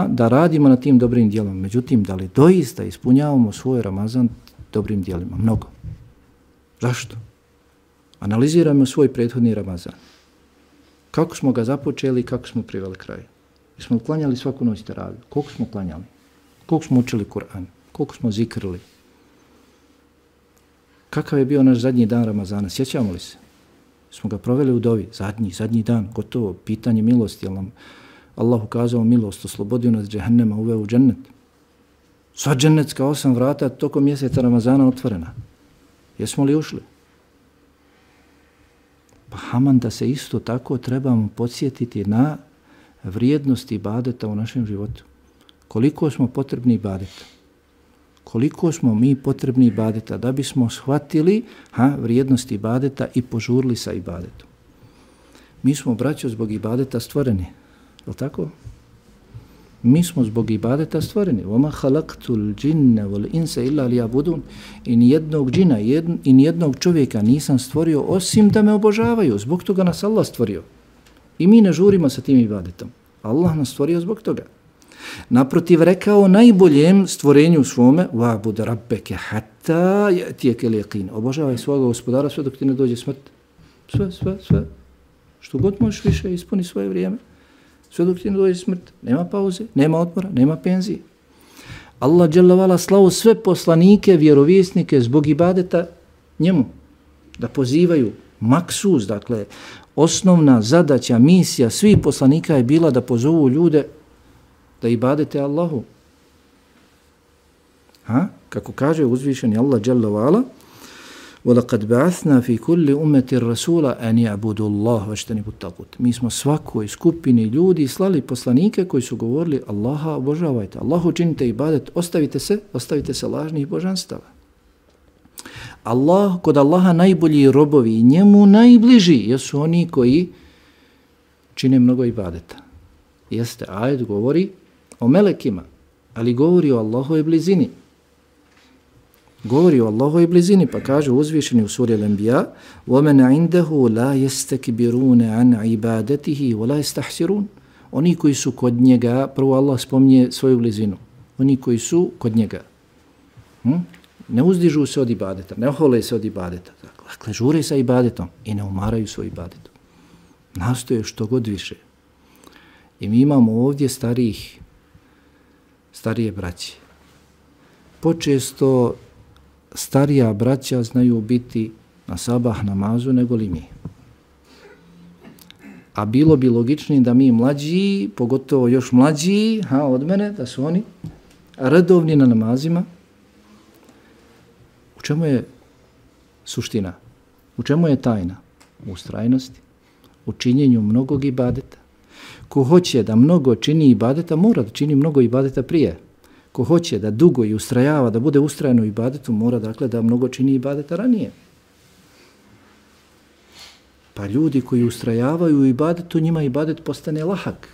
da radimo na tim dobrim djelom. Međutim, da li doista ispunjavamo svoj Ramazan dobrim djelima? Mnogo. Zašto? Analizirajmo svoj prethodni Ramazan. Kako smo ga započeli i kako smo priveli kraju? Jesmo klanjali svaku noć teraviju? Koliko smo klanjali? Koliko smo učili Kur'an? Koliko smo zikrili? Kakav je bio naš zadnji dan Ramazana? Sjećamo li se? Smo ga proveli u dovi. Zadnji dan, gotovo. Pitanje milosti. Jel nam Allah ukazao milost, oslobodio nas džehennema, uveo u džennet. Sva džennetska 8 vrata tokom mjeseca Ramazana otvorena. Jesmo li ušli? Pa haman da se isto tako trebamo podsjetiti na vrijednost ibadeta u našem životu. Koliko smo potrebni ibadeta? Koliko smo mi potrebni ibadeta da bismo shvatili vrijednost ibadeta i požurili sa ibadetom. Mi smo, braćo, zbog ibadeta stvoreni. Je li tako? Mi smo zbog ibadeta stvoreni. وَمَا خَلَقْتُ الْجِنَّ وَالْإِنْسَ إِلَّا لِيَعْبُدُونَ. I nijednog džina i nijednog čovjeka nisam stvorio osim da me obožavaju. Zbog toga nas Allah stvorio. I mi ne žurimo sa tim ibadetom. Allah nas stvorio zbog toga. Naprotiv, rekao najboljem stvorenju svome وَعْبُدَ رَبَّكَ حَتَّى يَأْتِيَكَ الْيَقِينُ. Obožavaj svoga gospodara sve dok ti ne dođe smrt. Sve. Što god možeš više, ispuni svoje vrijeme. Sve dok ti ne dođe smrt. Nema pauze, nema odmora, nema penzije. Allah dželle vala slao sve poslanike, vjerovjesnike zbog ibadeta njemu. Da pozivaju maksuz, dakle, osnovna zadaća, misija svih poslanika je bila da pozovu ljude da ibadete Allahu. Kako kaže uzvišeni Allah dželle vala, وَلَقَدْ بَعَثْنَا فِي كُلِّ أُمَّةٍ رَسُولًا أَنْ يَعْبُدُوا اللَّهَ وَاجْتَنِبُوا الطَّاغُوتَ. Mi smo svakoj skupini ljudi slali poslanike koji su govorili Allaha obožavajte, Allahu činite ibadet, ostavite se lažnih božanstava. Kod Allaha najbolji robovi i njemu najbliži jesu oni koji čine mnogo ibadeta. Jeste, ajet govori o melekima, ali govori o Allahovoj blizini. Govori o Allahovoj blizini, pa kaže uzvišeni u suri Al-Anbiya وَمَنْ عِنْدَهُ لَا يَسْتَكْبِرُونَ عَنْ عِبَادَتِهِ وَلَا يَسْتَحْسِرُونَ. Oni koji su kod njega, prvo Allah spominje svoju blizinu, oni koji su kod njega, ne uzdižu se od ibadeta, ne ohole se od ibadeta, dakle, žure sa ibadetom i ne umaraju svoj ibadetom. Nastoje što god više. I mi imamo ovdje starije braće. Počesto starija braća znaju biti na sabah namazu nego li mi. A bilo bi logičnije da mi mlađi, pogotovo još mlađi od mene, da su oni redovni na namazima. U čemu je suština? U čemu je tajna? U ustrajnosti, u činjenju mnogog ibadeta. Ko hoće da mnogo čini ibadeta, mora da čini mnogo ibadeta prije. Ko hoće da dugo i ustrajava, da bude ustrajan u ibadetu, mora dakle da mnogo čini ibadeta ranije. Pa ljudi koji ustrajavaju u ibadetu, njima ibadet postane lahak.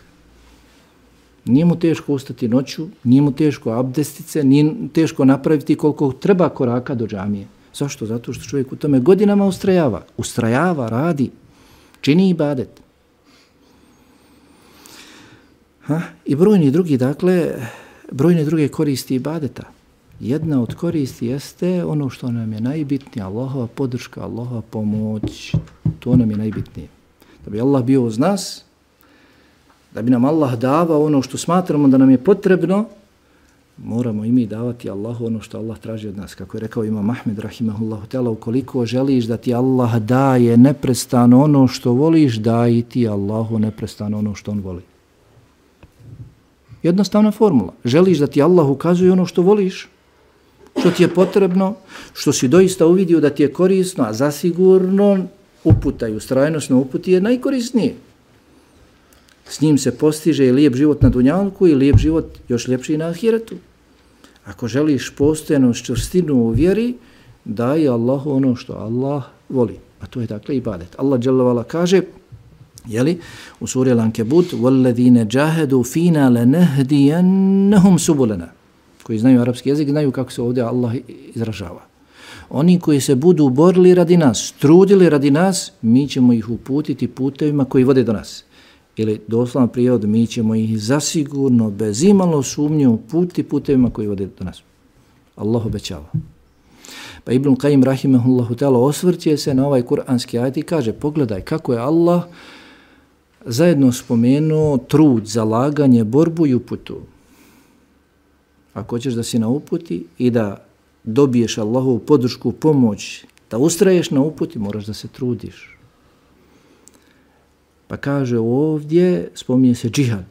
Nije mu teško ustati noću, nije mu teško abdestice, nije teško napraviti koliko treba koraka do džamije. Zašto? Zato što čovjek u tome godinama ustrajava. Ustrajava, radi, čini ibadet. I brojni druge koristi ibadeta. Jedna od koristi jeste ono što nam je najbitnije, Allahova podrška, Allahova pomoć, to nam je najbitnije. Da bi Allah bio uz nas, da bi nam Allah davao ono što smatramo da nam je potrebno, moramo i mi davati Allahu ono što Allah traži od nas. Kako je rekao Imam Ahmed rahimahullahu ta'ala, ukoliko želiš da ti Allah daje neprestano ono što voliš, daj ti Allahu neprestano ono što on voli. Jednostavna formula. Želiš da ti Allah ukazuje ono što voliš, što ti je potrebno, što si doista uvidio da ti je korisno, a zasigurno uputa i ustrajnost na uputi je najkorisnije. S njim se postiže lijep život na dunjalku i lijep život još ljepši na ahiretu. Ako želiš postojanost, čvrstinu u vjeri, daj Allahu ono što Allah voli. A to je dakle ibadet. Allah dželle ve ala kaže, jeli, u suri Al-Ankebut, وَالَّذِينَ جَاهَدُوا فِينَا لَنَهْدِيَنَّهُمْ سُبُلَنَا. Koji znaju arapski jezik, znaju kako se ovdje Allah izražava. Oni koji se budu borili radi nas, trudili radi nas, mi ćemo ih uputiti putevima koji vode do nas. Ili doslovno prijevod, mi ćemo ih zasigurno, bez imalo sumnje uputiti putevima koji vode do nas. Allah obećava. Pa Ibn Qayyim rahimehullahu ta'ala osvrće se na ovaj kuranski ajet i kaže, pogledaj kako je Allah zajedno spomenuo trud, zalaganje, borbu i uputu. Ako hoćeš da si na uputi i da dobiješ Allahovu podršku, pomoć, da ustraješ na uputi, moraš da se trudiš. Pa kaže ovdje, spominje se džihad.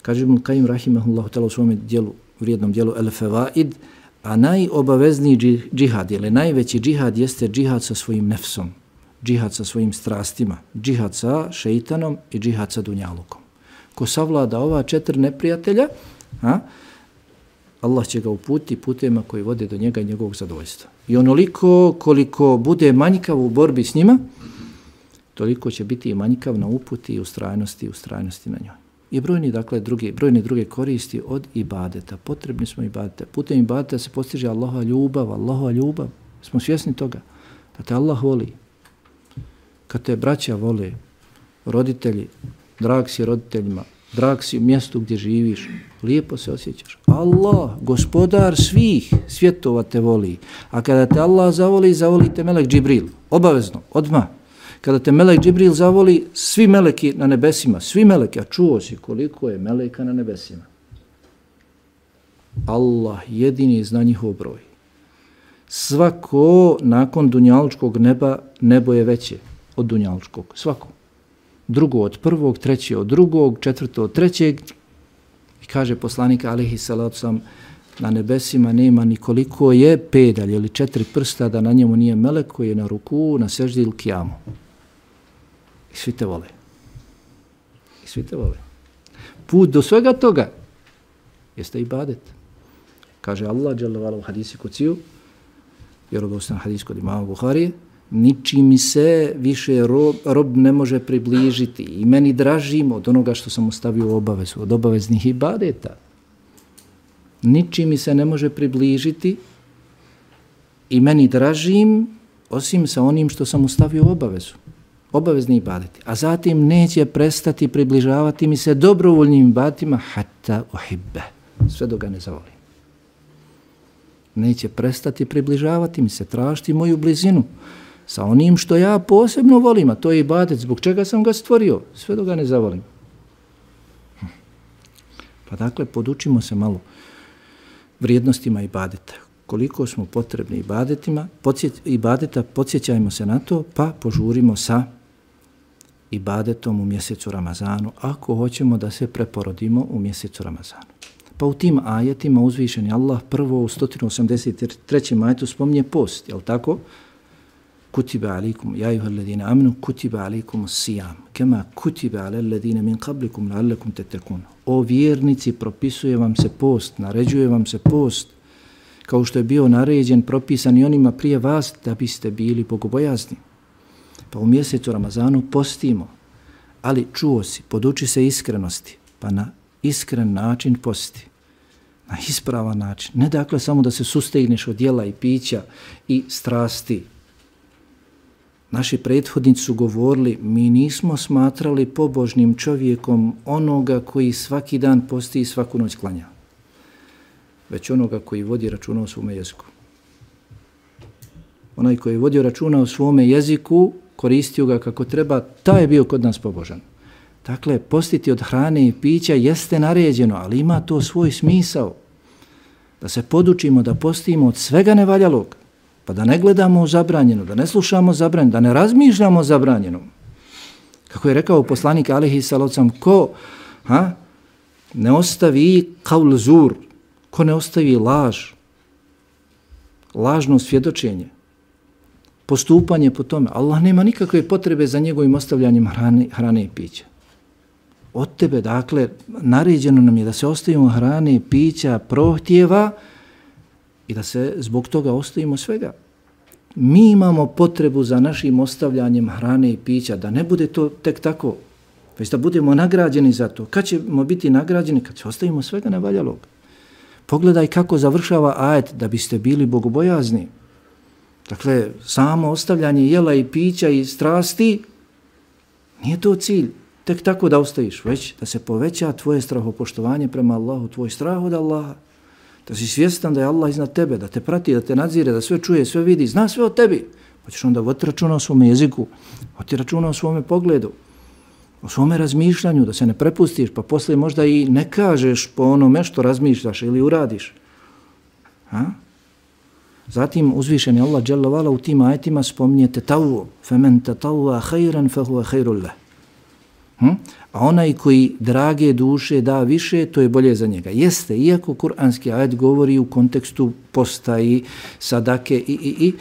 Kaže Ibn Qayyim rahimehullahu ta'ala u svom dijelu, vrijednom dijelu El-Fevaid, a najobavezniji džihad, ili najveći džihad jeste džihad sa svojim nefsom, džihad sa svojim strastima, džihad sa šeitanom i džihad sa dunjalukom. Ko savlada ova 4 neprijatelja, Allah će ga uputiti putevima koji vode do njega i njegovog zadovoljstva. I onoliko koliko bude manjkav u borbi s njima, toliko će biti i manjkav na uputi i ustrajnosti na njoj. I brojne druge koristi od ibadeta. Potrebni smo ibadeta. Putem ibadeta se postiže Allahova ljubav. Smo svjesni toga da te Allah voli. Kad te braća vole, roditelji, drag si roditeljima, drag si u mjestu gdje živiš, lijepo se osjećaš. Allah, gospodar svih svjetova te voli. A kada te Allah zavoli, zavoli te melek Džibril. Obavezno, odmah. Kada te melek Džibril zavoli, svi meleki na nebesima, svi meleki, a čuo si koliko je meleka na nebesima. Allah jedini zna njihov broj. Svako nakon dunjalučkog neba, nebo je veće od dunjalučkog. Svako. Drugo od prvog, treće od drugog, četvrto od trećeg. I kaže poslanik alejhi salatu selam, na nebesima nema ni koliko je pedalj ili 4 prsta da na njemu nije melek koji je na ruku, na seždi ili kijamu. I svi te vole. Put do svega toga jeste ibadet. Kaže Allah dželle ve ala u hadisi kuciju, vjerodostojni hadis kod imama Buharije, ničim mi se više rob ne može približiti i meni dražim od onoga što sam mu stavio u obavezu, od obaveznih ibadeta. Ničim mi se ne može približiti i meni dražim osim sa onim što sam mu stavio u obavezu. Obavezni ibadeti. A zatim neće prestati približavati mi se dobrovoljnim ibadetima hatta uhibbe. Sve dok ga ne zavolim. Neće prestati približavati mi se, tražiti moju blizinu sa onim što ja posebno volim, a to je ibadet, zbog čega sam ga stvorio, sve dok ga ne zavolim. Pa dakle, podučimo se malo vrijednostima ibadeta. Koliko smo potrebni ibadeta, podsjećajmo se na to, pa požurimo sa ibadetom u mjesecu Ramazanu, ako hoćemo da se preporodimo u mjesecu Ramazanu. Pa u tim ajetima uzvišeni Allah prvo u 183. ajetu spominje post, jel tako? Kutiba alikum, ja ayyuhalladhina amanu, kutiba alikum sijam, kema kutiba alelladhina min qablikum la'allakum tattaqun. O vjernici, propisuje vam se post, naređuje vam se post, kao što je bio naređen, propisan i onima prije vas, da biste bili bogobojazni. Pa u mjesecu Ramazanu postimo, ali čuo si, poduči se iskrenosti, pa na iskren način posti. Na ispravan način. Ne dakle samo da se sustegneš od jela i pića i strasti. Naši prethodnici su govorili, mi nismo smatrali pobožnim čovjekom onoga koji svaki dan posti i svaku noć klanja, već onoga koji vodi računa o svome jeziku. Onaj koji je vodio računa o svome jeziku, koristio ga kako treba, taj je bio kod nas pobožan. Dakle, postiti od hrane i pića jeste naređeno, ali ima to svoj smisao. Da se podučimo da postimo od svega nevaljalog, pa da ne gledamo u zabranjeno, da ne slušamo zabranjeno, da ne razmišljamo o zabranjenom. Kako je rekao poslanik alejhi salatu selam, ko ne ostavi qaul zur, ko ne ostavi lažno svjedočenje, postupanje po tome, Allah nema nikakve potrebe za njegovim ostavljanjem hrane i pića. od tebe, dakle, naređeno nam je da se ostavimo hrane, pića, prohtjeva i da se zbog toga ostavimo svega. Mi imamo potrebu za našim ostavljanjem hrane i pića, da ne bude to tek tako, već da budemo nagrađeni za to. Kad ćemo biti nagrađeni? Kad se ostavimo svega nevaljalog. Pogledaj kako završava ajet da biste bili bogobojazni. Dakle, samo ostavljanje jela i pića i strasti nije to cilj. Tek tako da ostaviš, već da se poveća tvoje strahopoštovanje prema Allahu, tvoj strah od Allaha. Da si svjestan da je Allah iznad tebe, da te prati, da te nadzire, da sve čuje, sve vidi, zna sve o tebi. Hoćeš onda voditi računa o svome jeziku, voditi računa o svome pogledu, o svome razmišljanju, da se ne prepustiš, pa poslije možda i ne kažeš po onome što razmišljaš ili uradiš. Zatim uzvišeni Allah dželle vala u tim ajetima spominje tetavu, femen tetavva khayran fahuwa khairul lah. A onaj koji drage duše da više, to je bolje za njega. Jeste, iako kuranski ajet govori u kontekstu posta i sadake i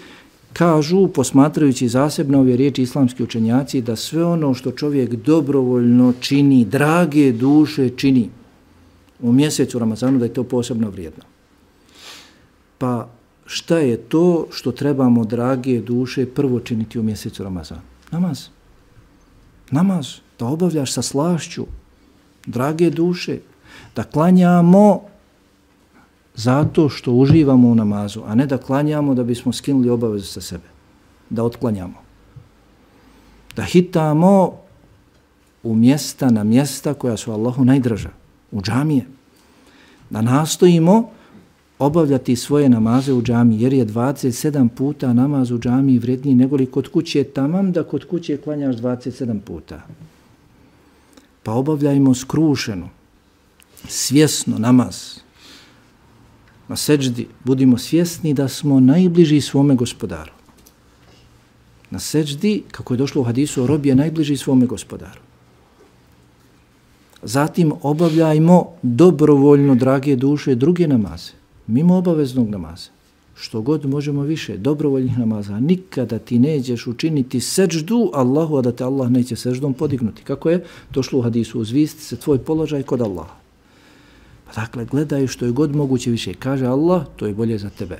kažu, posmatrajući zasebno ove riječi islamski učenjaci, da sve ono što čovjek dobrovoljno čini, drage duše čini u mjesecu Ramazanu, da je to posebno vrijedno. Pa šta je to što trebamo, drage duše, prvo činiti u mjesecu Ramazanu? Namaz. Namaz. Da obavljaš sa slašću, drage duše, da klanjamo zato što uživamo u namazu, a ne da klanjamo da bismo skinuli obavezu sa sebe, da otklanjamo. Da hitamo u mjesta na mjesta koja su Allahu najdraža, u džamije. Da nastojimo obavljati svoje namaze u džamiji, jer je 27 puta namaz u džamiji vredniji nego li kod kuće, tamam da kod kuće klanjaš 27 puta. Pa obavljajmo skrušeno, svjesno namaz. Na seđdi budimo svjesni da smo najbliži svome gospodaru. Na seđdi, kako je došlo u hadisu, rob je najbliži svome gospodaru. Zatim obavljajmo dobrovoljno, drage duše, druge namaze, mimo obaveznog namaza. Što god možemo više, dobrovoljnih namaza. Nikada ti nećeš učiniti seđdu Allahu, a da te Allah neće seđdom podignuti. Kako je došlo u hadisu, uzvisti se tvoj položaj kod Allaha. Pa dakle, gledaj što je god moguće više. Kaže Allah, to je bolje za tebe.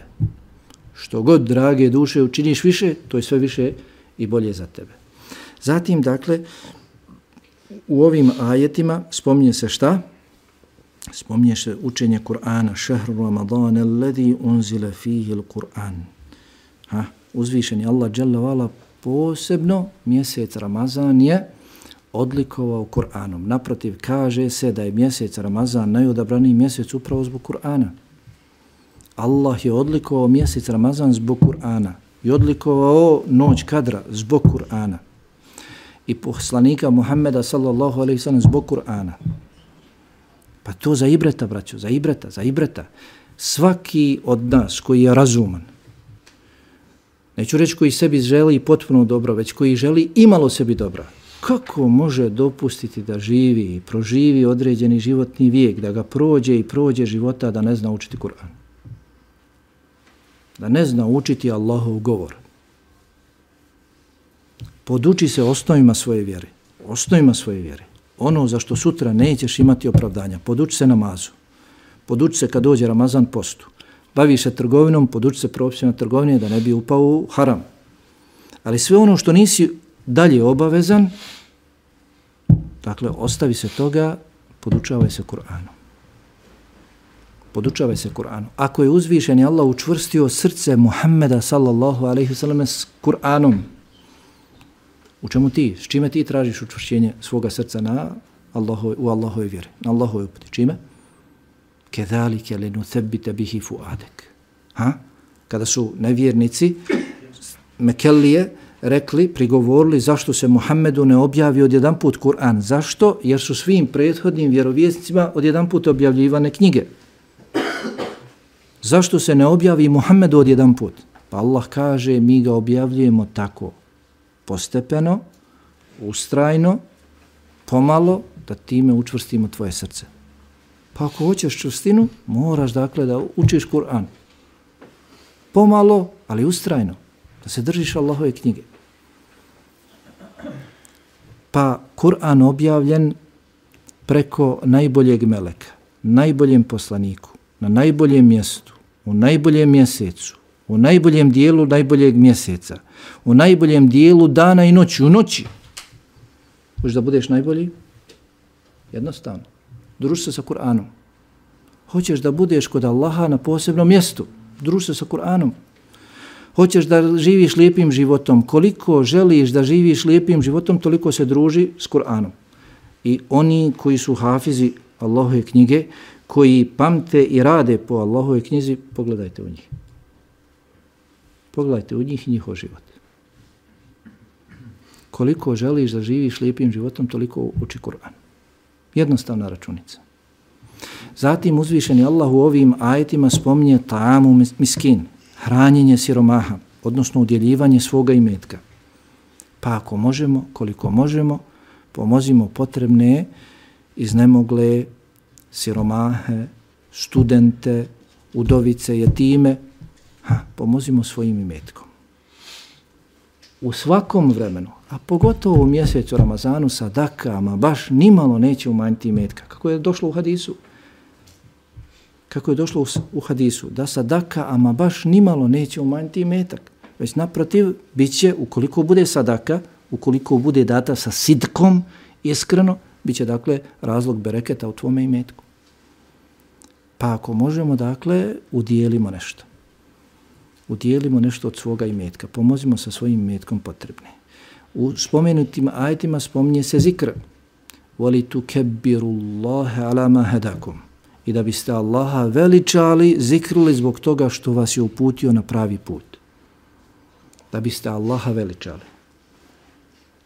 Što god, drage duše, učiniš više, to je sve više i bolje za tebe. Zatim, dakle, u ovim ajetima spominje se šta? Spominje se učenje Kur'ana, šehru Ramadana, alladhi unzila fihi l-Kur'an. Uzvišeni Allah dželle vala posebno mjesec Ramazan je odlikovao Kur'anom. Naprotiv, kaže se da je mjesec Ramazan najodabraniji mjesec upravo zbog Kur'ana. Allah je odlikovao mjesec Ramazan zbog Kur'ana i odlikovao noć kadra zbog Kur'ana i poslanika Muhammeda sallallahu alejhi ve sellem zbog Kur'ana. Pa to za ibreta, braćo, za ibreta. Svaki od nas koji je razuman, neću reći koji sebi želi potpuno dobro, već koji želi imalo sebi dobra, kako može dopustiti da živi i proživi određeni životni vijek, da ga prođe i prođe života, da ne zna učiti Kur'an? Da ne zna učiti Allahov govor. Poduči se osnovima svoje vjere. Ono za što sutra nećeš imati opravdanja. Poduči se namazu. Poduči se kad dođe Ramazan postu. Baviš se trgovinom, poduči se propisima trgovine da ne bi upao u haram. Ali sve ono što nisi dalje obavezan, dakle, ostavi se toga, podučavaj se Kur'anu. Ako je uzvišeni Allah učvrstio srce Muhammeda sallallahu alejhi ve sellem s Kur'anom, u čemu ti, s čime ti tražiš učvršćenje svoga srca u Allahove vjeri, na Allahove uputi? Čime? Kedalike linuthebbite bihi fuadek. Kada su nevjernici Mekelije rekli, prigovorili zašto se Muhammedu ne objavi odjedanput Kur'an. Zašto? Jer su svim prethodnim vjerovjesnicima odjedanput objavljivane knjige. Zašto se ne objavi Muhammedu odjedanput? Pa Allah kaže, mi ga objavljujemo tako, postepeno, ustrajno, pomalo, da time učvrstimo tvoje srce. Pa ako hoćeš čvrstinu, moraš dakle da učiš Kur'an. Pomalo, ali ustrajno, da se držiš Allahove knjige. Pa Kur'an objavljen preko najboljeg meleka, najboljem poslaniku, na najboljem mjestu, u najboljem mjesecu, u najboljem dijelu najboljeg mjeseca, u najboljem dijelu dana i noći, u noći. Hoćeš da budeš najbolji? Jednostavno. Druži se sa Kur'anom. Hoćeš da budeš kod Allaha na posebnom mjestu? Druži se sa Kur'anom. Hoćeš da živiš lijepim životom? Koliko želiš da živiš lijepim životom, toliko se druži s Kur'anom. I oni koji su hafizi Allahove knjige, koji pamte i rade po Allahove knjizi, pogledajte u njih. Pogledajte u njih i njihov život. Koliko želiš da živiš lijepim životom, toliko uči Kur'an. Jednostavna računica. Zatim uzvišeni Allah u ovim ajetima spominje ta'amu miskin, hranjenje siromaha, odnosno udjeljivanje svoga imetka. Pa ako možemo, koliko možemo, pomozimo potrebne, iznemogle, siromahe, studente, udovice, jetime, pomozimo svojim imetkom. U svakom vremenu, a pogotovo u mjesecu Ramazanu, sadakama baš nimalo neće umanjiti imetka. Kako je došlo u hadisu? Kako je došlo u hadisu? Da sadaka, ama baš nimalo neće umanjiti imetak. Već naprotiv, bit će, ukoliko bude sadaka, ukoliko bude data sa sidkom, iskreno, bit će, dakle, razlog bereketa u tvome imetku. Pa ako možemo, dakle, udijelimo nešto. Udijelimo nešto od svoga imetka. Pomozimo sa svojim imetkom potrebne. U spomenutim ajetima spominje se zikr. وَلِتُكَبِّرُ اللَّهَ عَلَى مَا هَدَاكُمْ. I da biste Allaha veličali, zikrili zbog toga što vas je uputio na pravi put. Da biste Allaha veličali.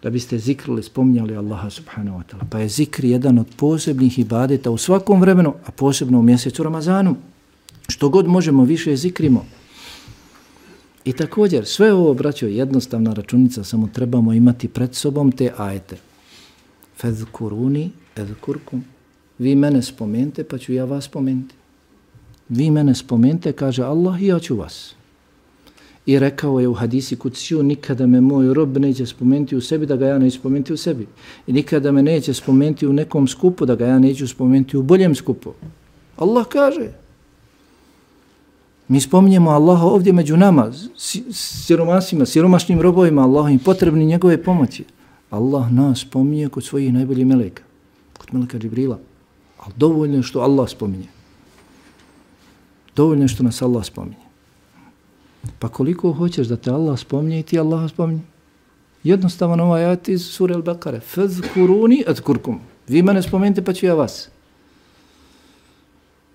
Da biste zikrili, spominjali Allaha subhanahu wa ta'ala. Pa je zikr jedan od posebnih ibadeta u svakom vremenu, a posebno u mjesecu Ramazanu. Što god možemo, više zikrimo. I također, sve ovo, braćo, je jednostavna računica, samo trebamo imati pred sobom te ajete. Fezkuruni, ezkurkum. Vi mene spomente, pa ću ja vas spomenuti. Vi mene spomente, kaže Allah, i ja ću vas. I rekao je u hadisi kudsiju, nikada me moj rob neće spomenuti u sebi, da ga ja neću spomenuti u sebi. I nikada me neće spomenuti u nekom skupu, da ga ja neću spomenuti u boljem skupu. Allah kaže. Mi spominjemo Allaha ovdje među nama, siromasima, siromašnim robovima, Allahovim potrebni njegove pomoći. Allah nas spominje kod svojih najboljih meleka, kod meleka Džibrila. Ali dovoljno je što Allah spominje. Dovoljno je što nas Allah spominje. Pa koliko hoćeš da te Allah spominje i ti Allah spominje? Jednostavan ovaj ajet iz sure Al-Baqare. Fazkuruni azkurkum. Vi mene spomenite pa ću ja vas.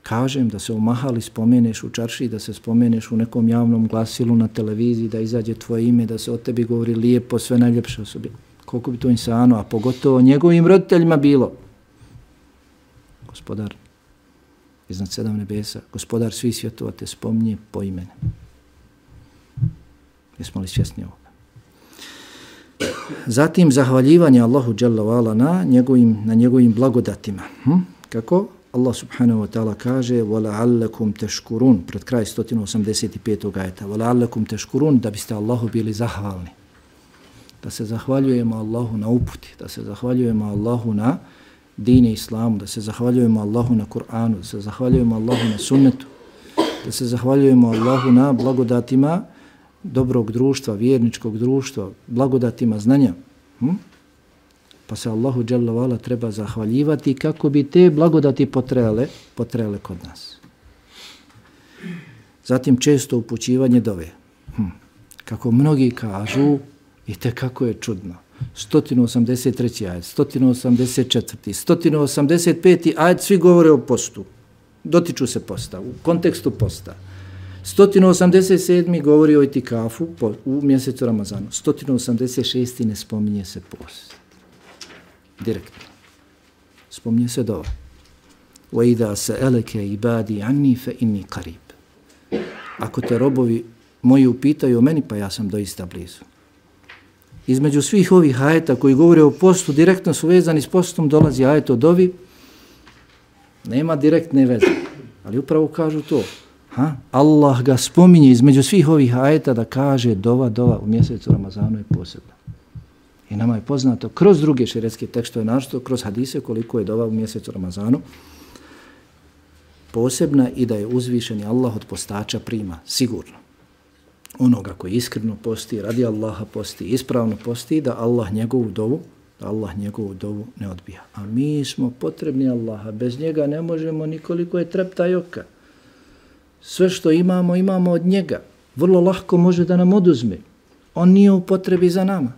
Kažem da se u mahali spomeneš u čarši, da se spomeneš u nekom javnom glasilu na televiziji, da izađe tvoje ime, da se o tebi govori lijepo, sve najljepše osobi. Koliko bi to insano, a pogotovo njegovim roditeljima bilo. Gospodar iznad 7 nebesa, gospodar svih svjetova te spominje po imenu. Jesmo li svjesni ovoga? Zatim zahvaljivanje Allahu dželle ve ala na njegovim blagodatima. Kako? Allah subhanahu wa ta'ala kaže وَلَعَلَّكُمْ تَشْكُرُونَ pred kraj 185. ajeta. وَلَعَلَّكُمْ تَشْكُرُونَ da biste Allahu bili zahvalni. Da se zahvaljujemo Allahu na uputi, da se zahvaljujemo Allahu na dine islamu, da se zahvaljujemo Allahu na Kur'anu, da se zahvaljujemo Allahu na sunnetu, da se zahvaljujemo Allahu na blagodatima dobrog društva, vjerničkog društva, blagodatima znanja. Pa se Allahu dželle ve ala treba zahvaljivati kako bi te blagodati potrele kod nas. Zatim često upućivanje dove. Kako mnogi kažu, i kako je čudno. 183. ajet, 184. 185. ajet, svi govore o postu. Dotiču se posta, u kontekstu posta. 187. govori o itikafu u mjesecu Ramazanu. 186. ne spominje se post. Direktno. Spominje se dova. وَإِذَا سَأَلَكَ عِبَادِي عَنِّي فَإِنِّي قَرِيبٌ. Ako te robovi moji upitaju o meni, pa ja sam doista blizu. Između svih ovih ajeta koji govore o postu, direktno su vezani s postom, dolazi ajet o dovi, nema direktne veze, ali upravo kažu to. Allah ga spominje između svih ovih ajeta da kaže dova u mjesecu Ramazanu je posebna. I nama je poznato kroz druge šerijatske tekstove, naročito kroz hadise koliko je dova u mjesecu Ramazanu posebna i da je uzvišeni Allah od postača prima, sigurno. Onoga koji iskreno posti, radi Allaha posti, ispravno posti, da Allah njegovu dovu ne odbija. A mi smo potrebni Allaha, bez njega ne možemo nikoliko je trepta i oka. Sve što imamo, imamo od njega. Vrlo lahko može da nam oduzme. On nije u potrebi za nama.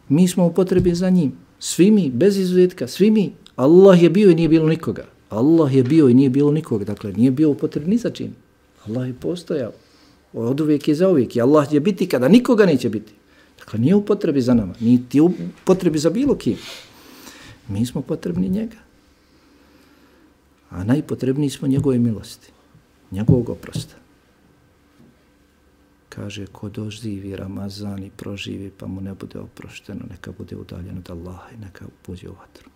Mi smo u potrebi za njim. Svi mi, bez izuzetka, svi mi. Allah je bio i nije bilo nikoga. Allah je bio i nije bilo nikoga. Dakle, nije bio u potrebi ni za čim. Allah je postojao. Od uvijek i za uvijek. I Allah će biti kada nikoga neće biti. Dakle, nije u potrebi za nama. Niti u potrebi za bilo kim. Mi smo potrebni njega. A najpotrebniji smo njegove milosti. Njegovog oprosta. Kaže, ko doživi Ramazan i proživi pa mu ne bude oprošteno, neka bude udaljen od Allaha i neka uđe u vatru.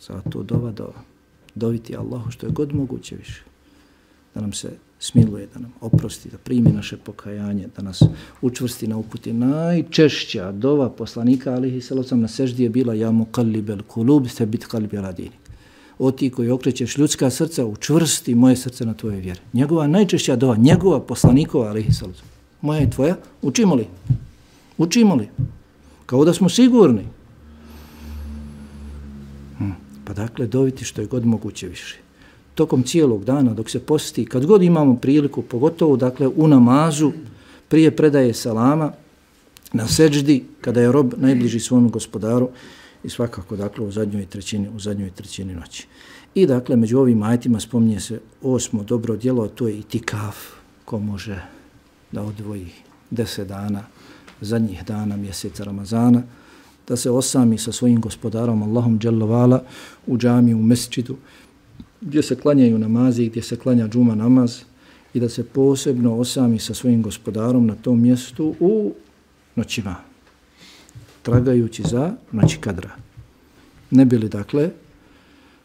Zato dova. Doviti Allahu što je god moguće više. Da nam se smiluje, da nam oprosti, da primi naše pokajanje, da nas učvrsti na uputi. Najčešća dova poslanika alihi sallam na seždi je bila ja muqallibel kulub thabit qalbi ala dinik. O ti koji okrećeš ljudska srca, učvrsti moje srce na tvoje vjere. Njegova najčešća dova, njegova poslanikova alihi sallam. Moja i tvoja, učimo li? Učimo li? Kao da smo sigurni. Pa dakle, doviti što je god moguće više. Tokom cijelog dana, dok se posti, kad god imamo priliku, pogotovo dakle u namazu, prije predaje salama, na seđdi, kada je rob najbliži svom gospodaru i svakako dakle u zadnjoj trećini noći. I dakle, među ovim ajetima spominje se 8. dobro djelo, a to je itikaf, ko može da odvoji 10 dana, zadnjih dana mjeseca Ramazana, da se osami sa svojim gospodarom Allahom dželle vala u džamiji, u mesdžidu, gdje se klanjaju namazi, gdje se klanja džuma namaz i da se posebno osami sa svojim gospodarom na tom mjestu u noćima, tragajući za noći kadra. Ne bi li dakle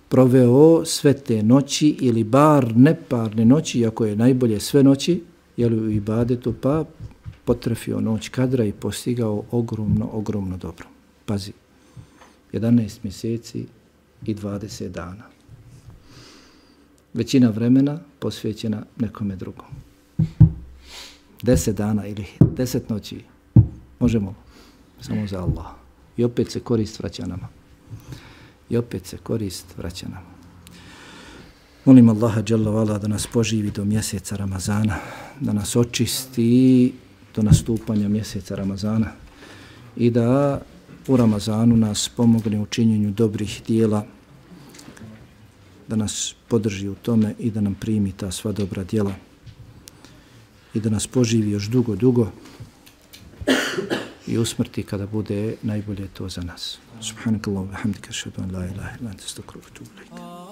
proveo sve te noći ili bar neparne noći, iako je najbolje sve noći, jel u ibadetu, pa potrefio noć kadra i postigao ogromno dobro. Pazi, 11 mjeseci i 20 dana. Većina vremena posvećena nekome drugom. 10 dana ili 10 noći možemo samo za Allah. I opet se korist vraća nama. Molim Allaha dželle vala da nas poživi do mjeseca Ramazana, da nas očisti do nastupanja mjeseca Ramazana i da u Ramazanu nas pomogne u činjenju dobrih dijela, da nas podrži u tome i da nam primi ta sva dobra djela i da nas poživi još dugo i usmrti kada bude najbolje to za nas. Subhanakallahu wa bihamdika, ashhadu an la ilaha illa anta, astaghfiruka wa atubu ilayk.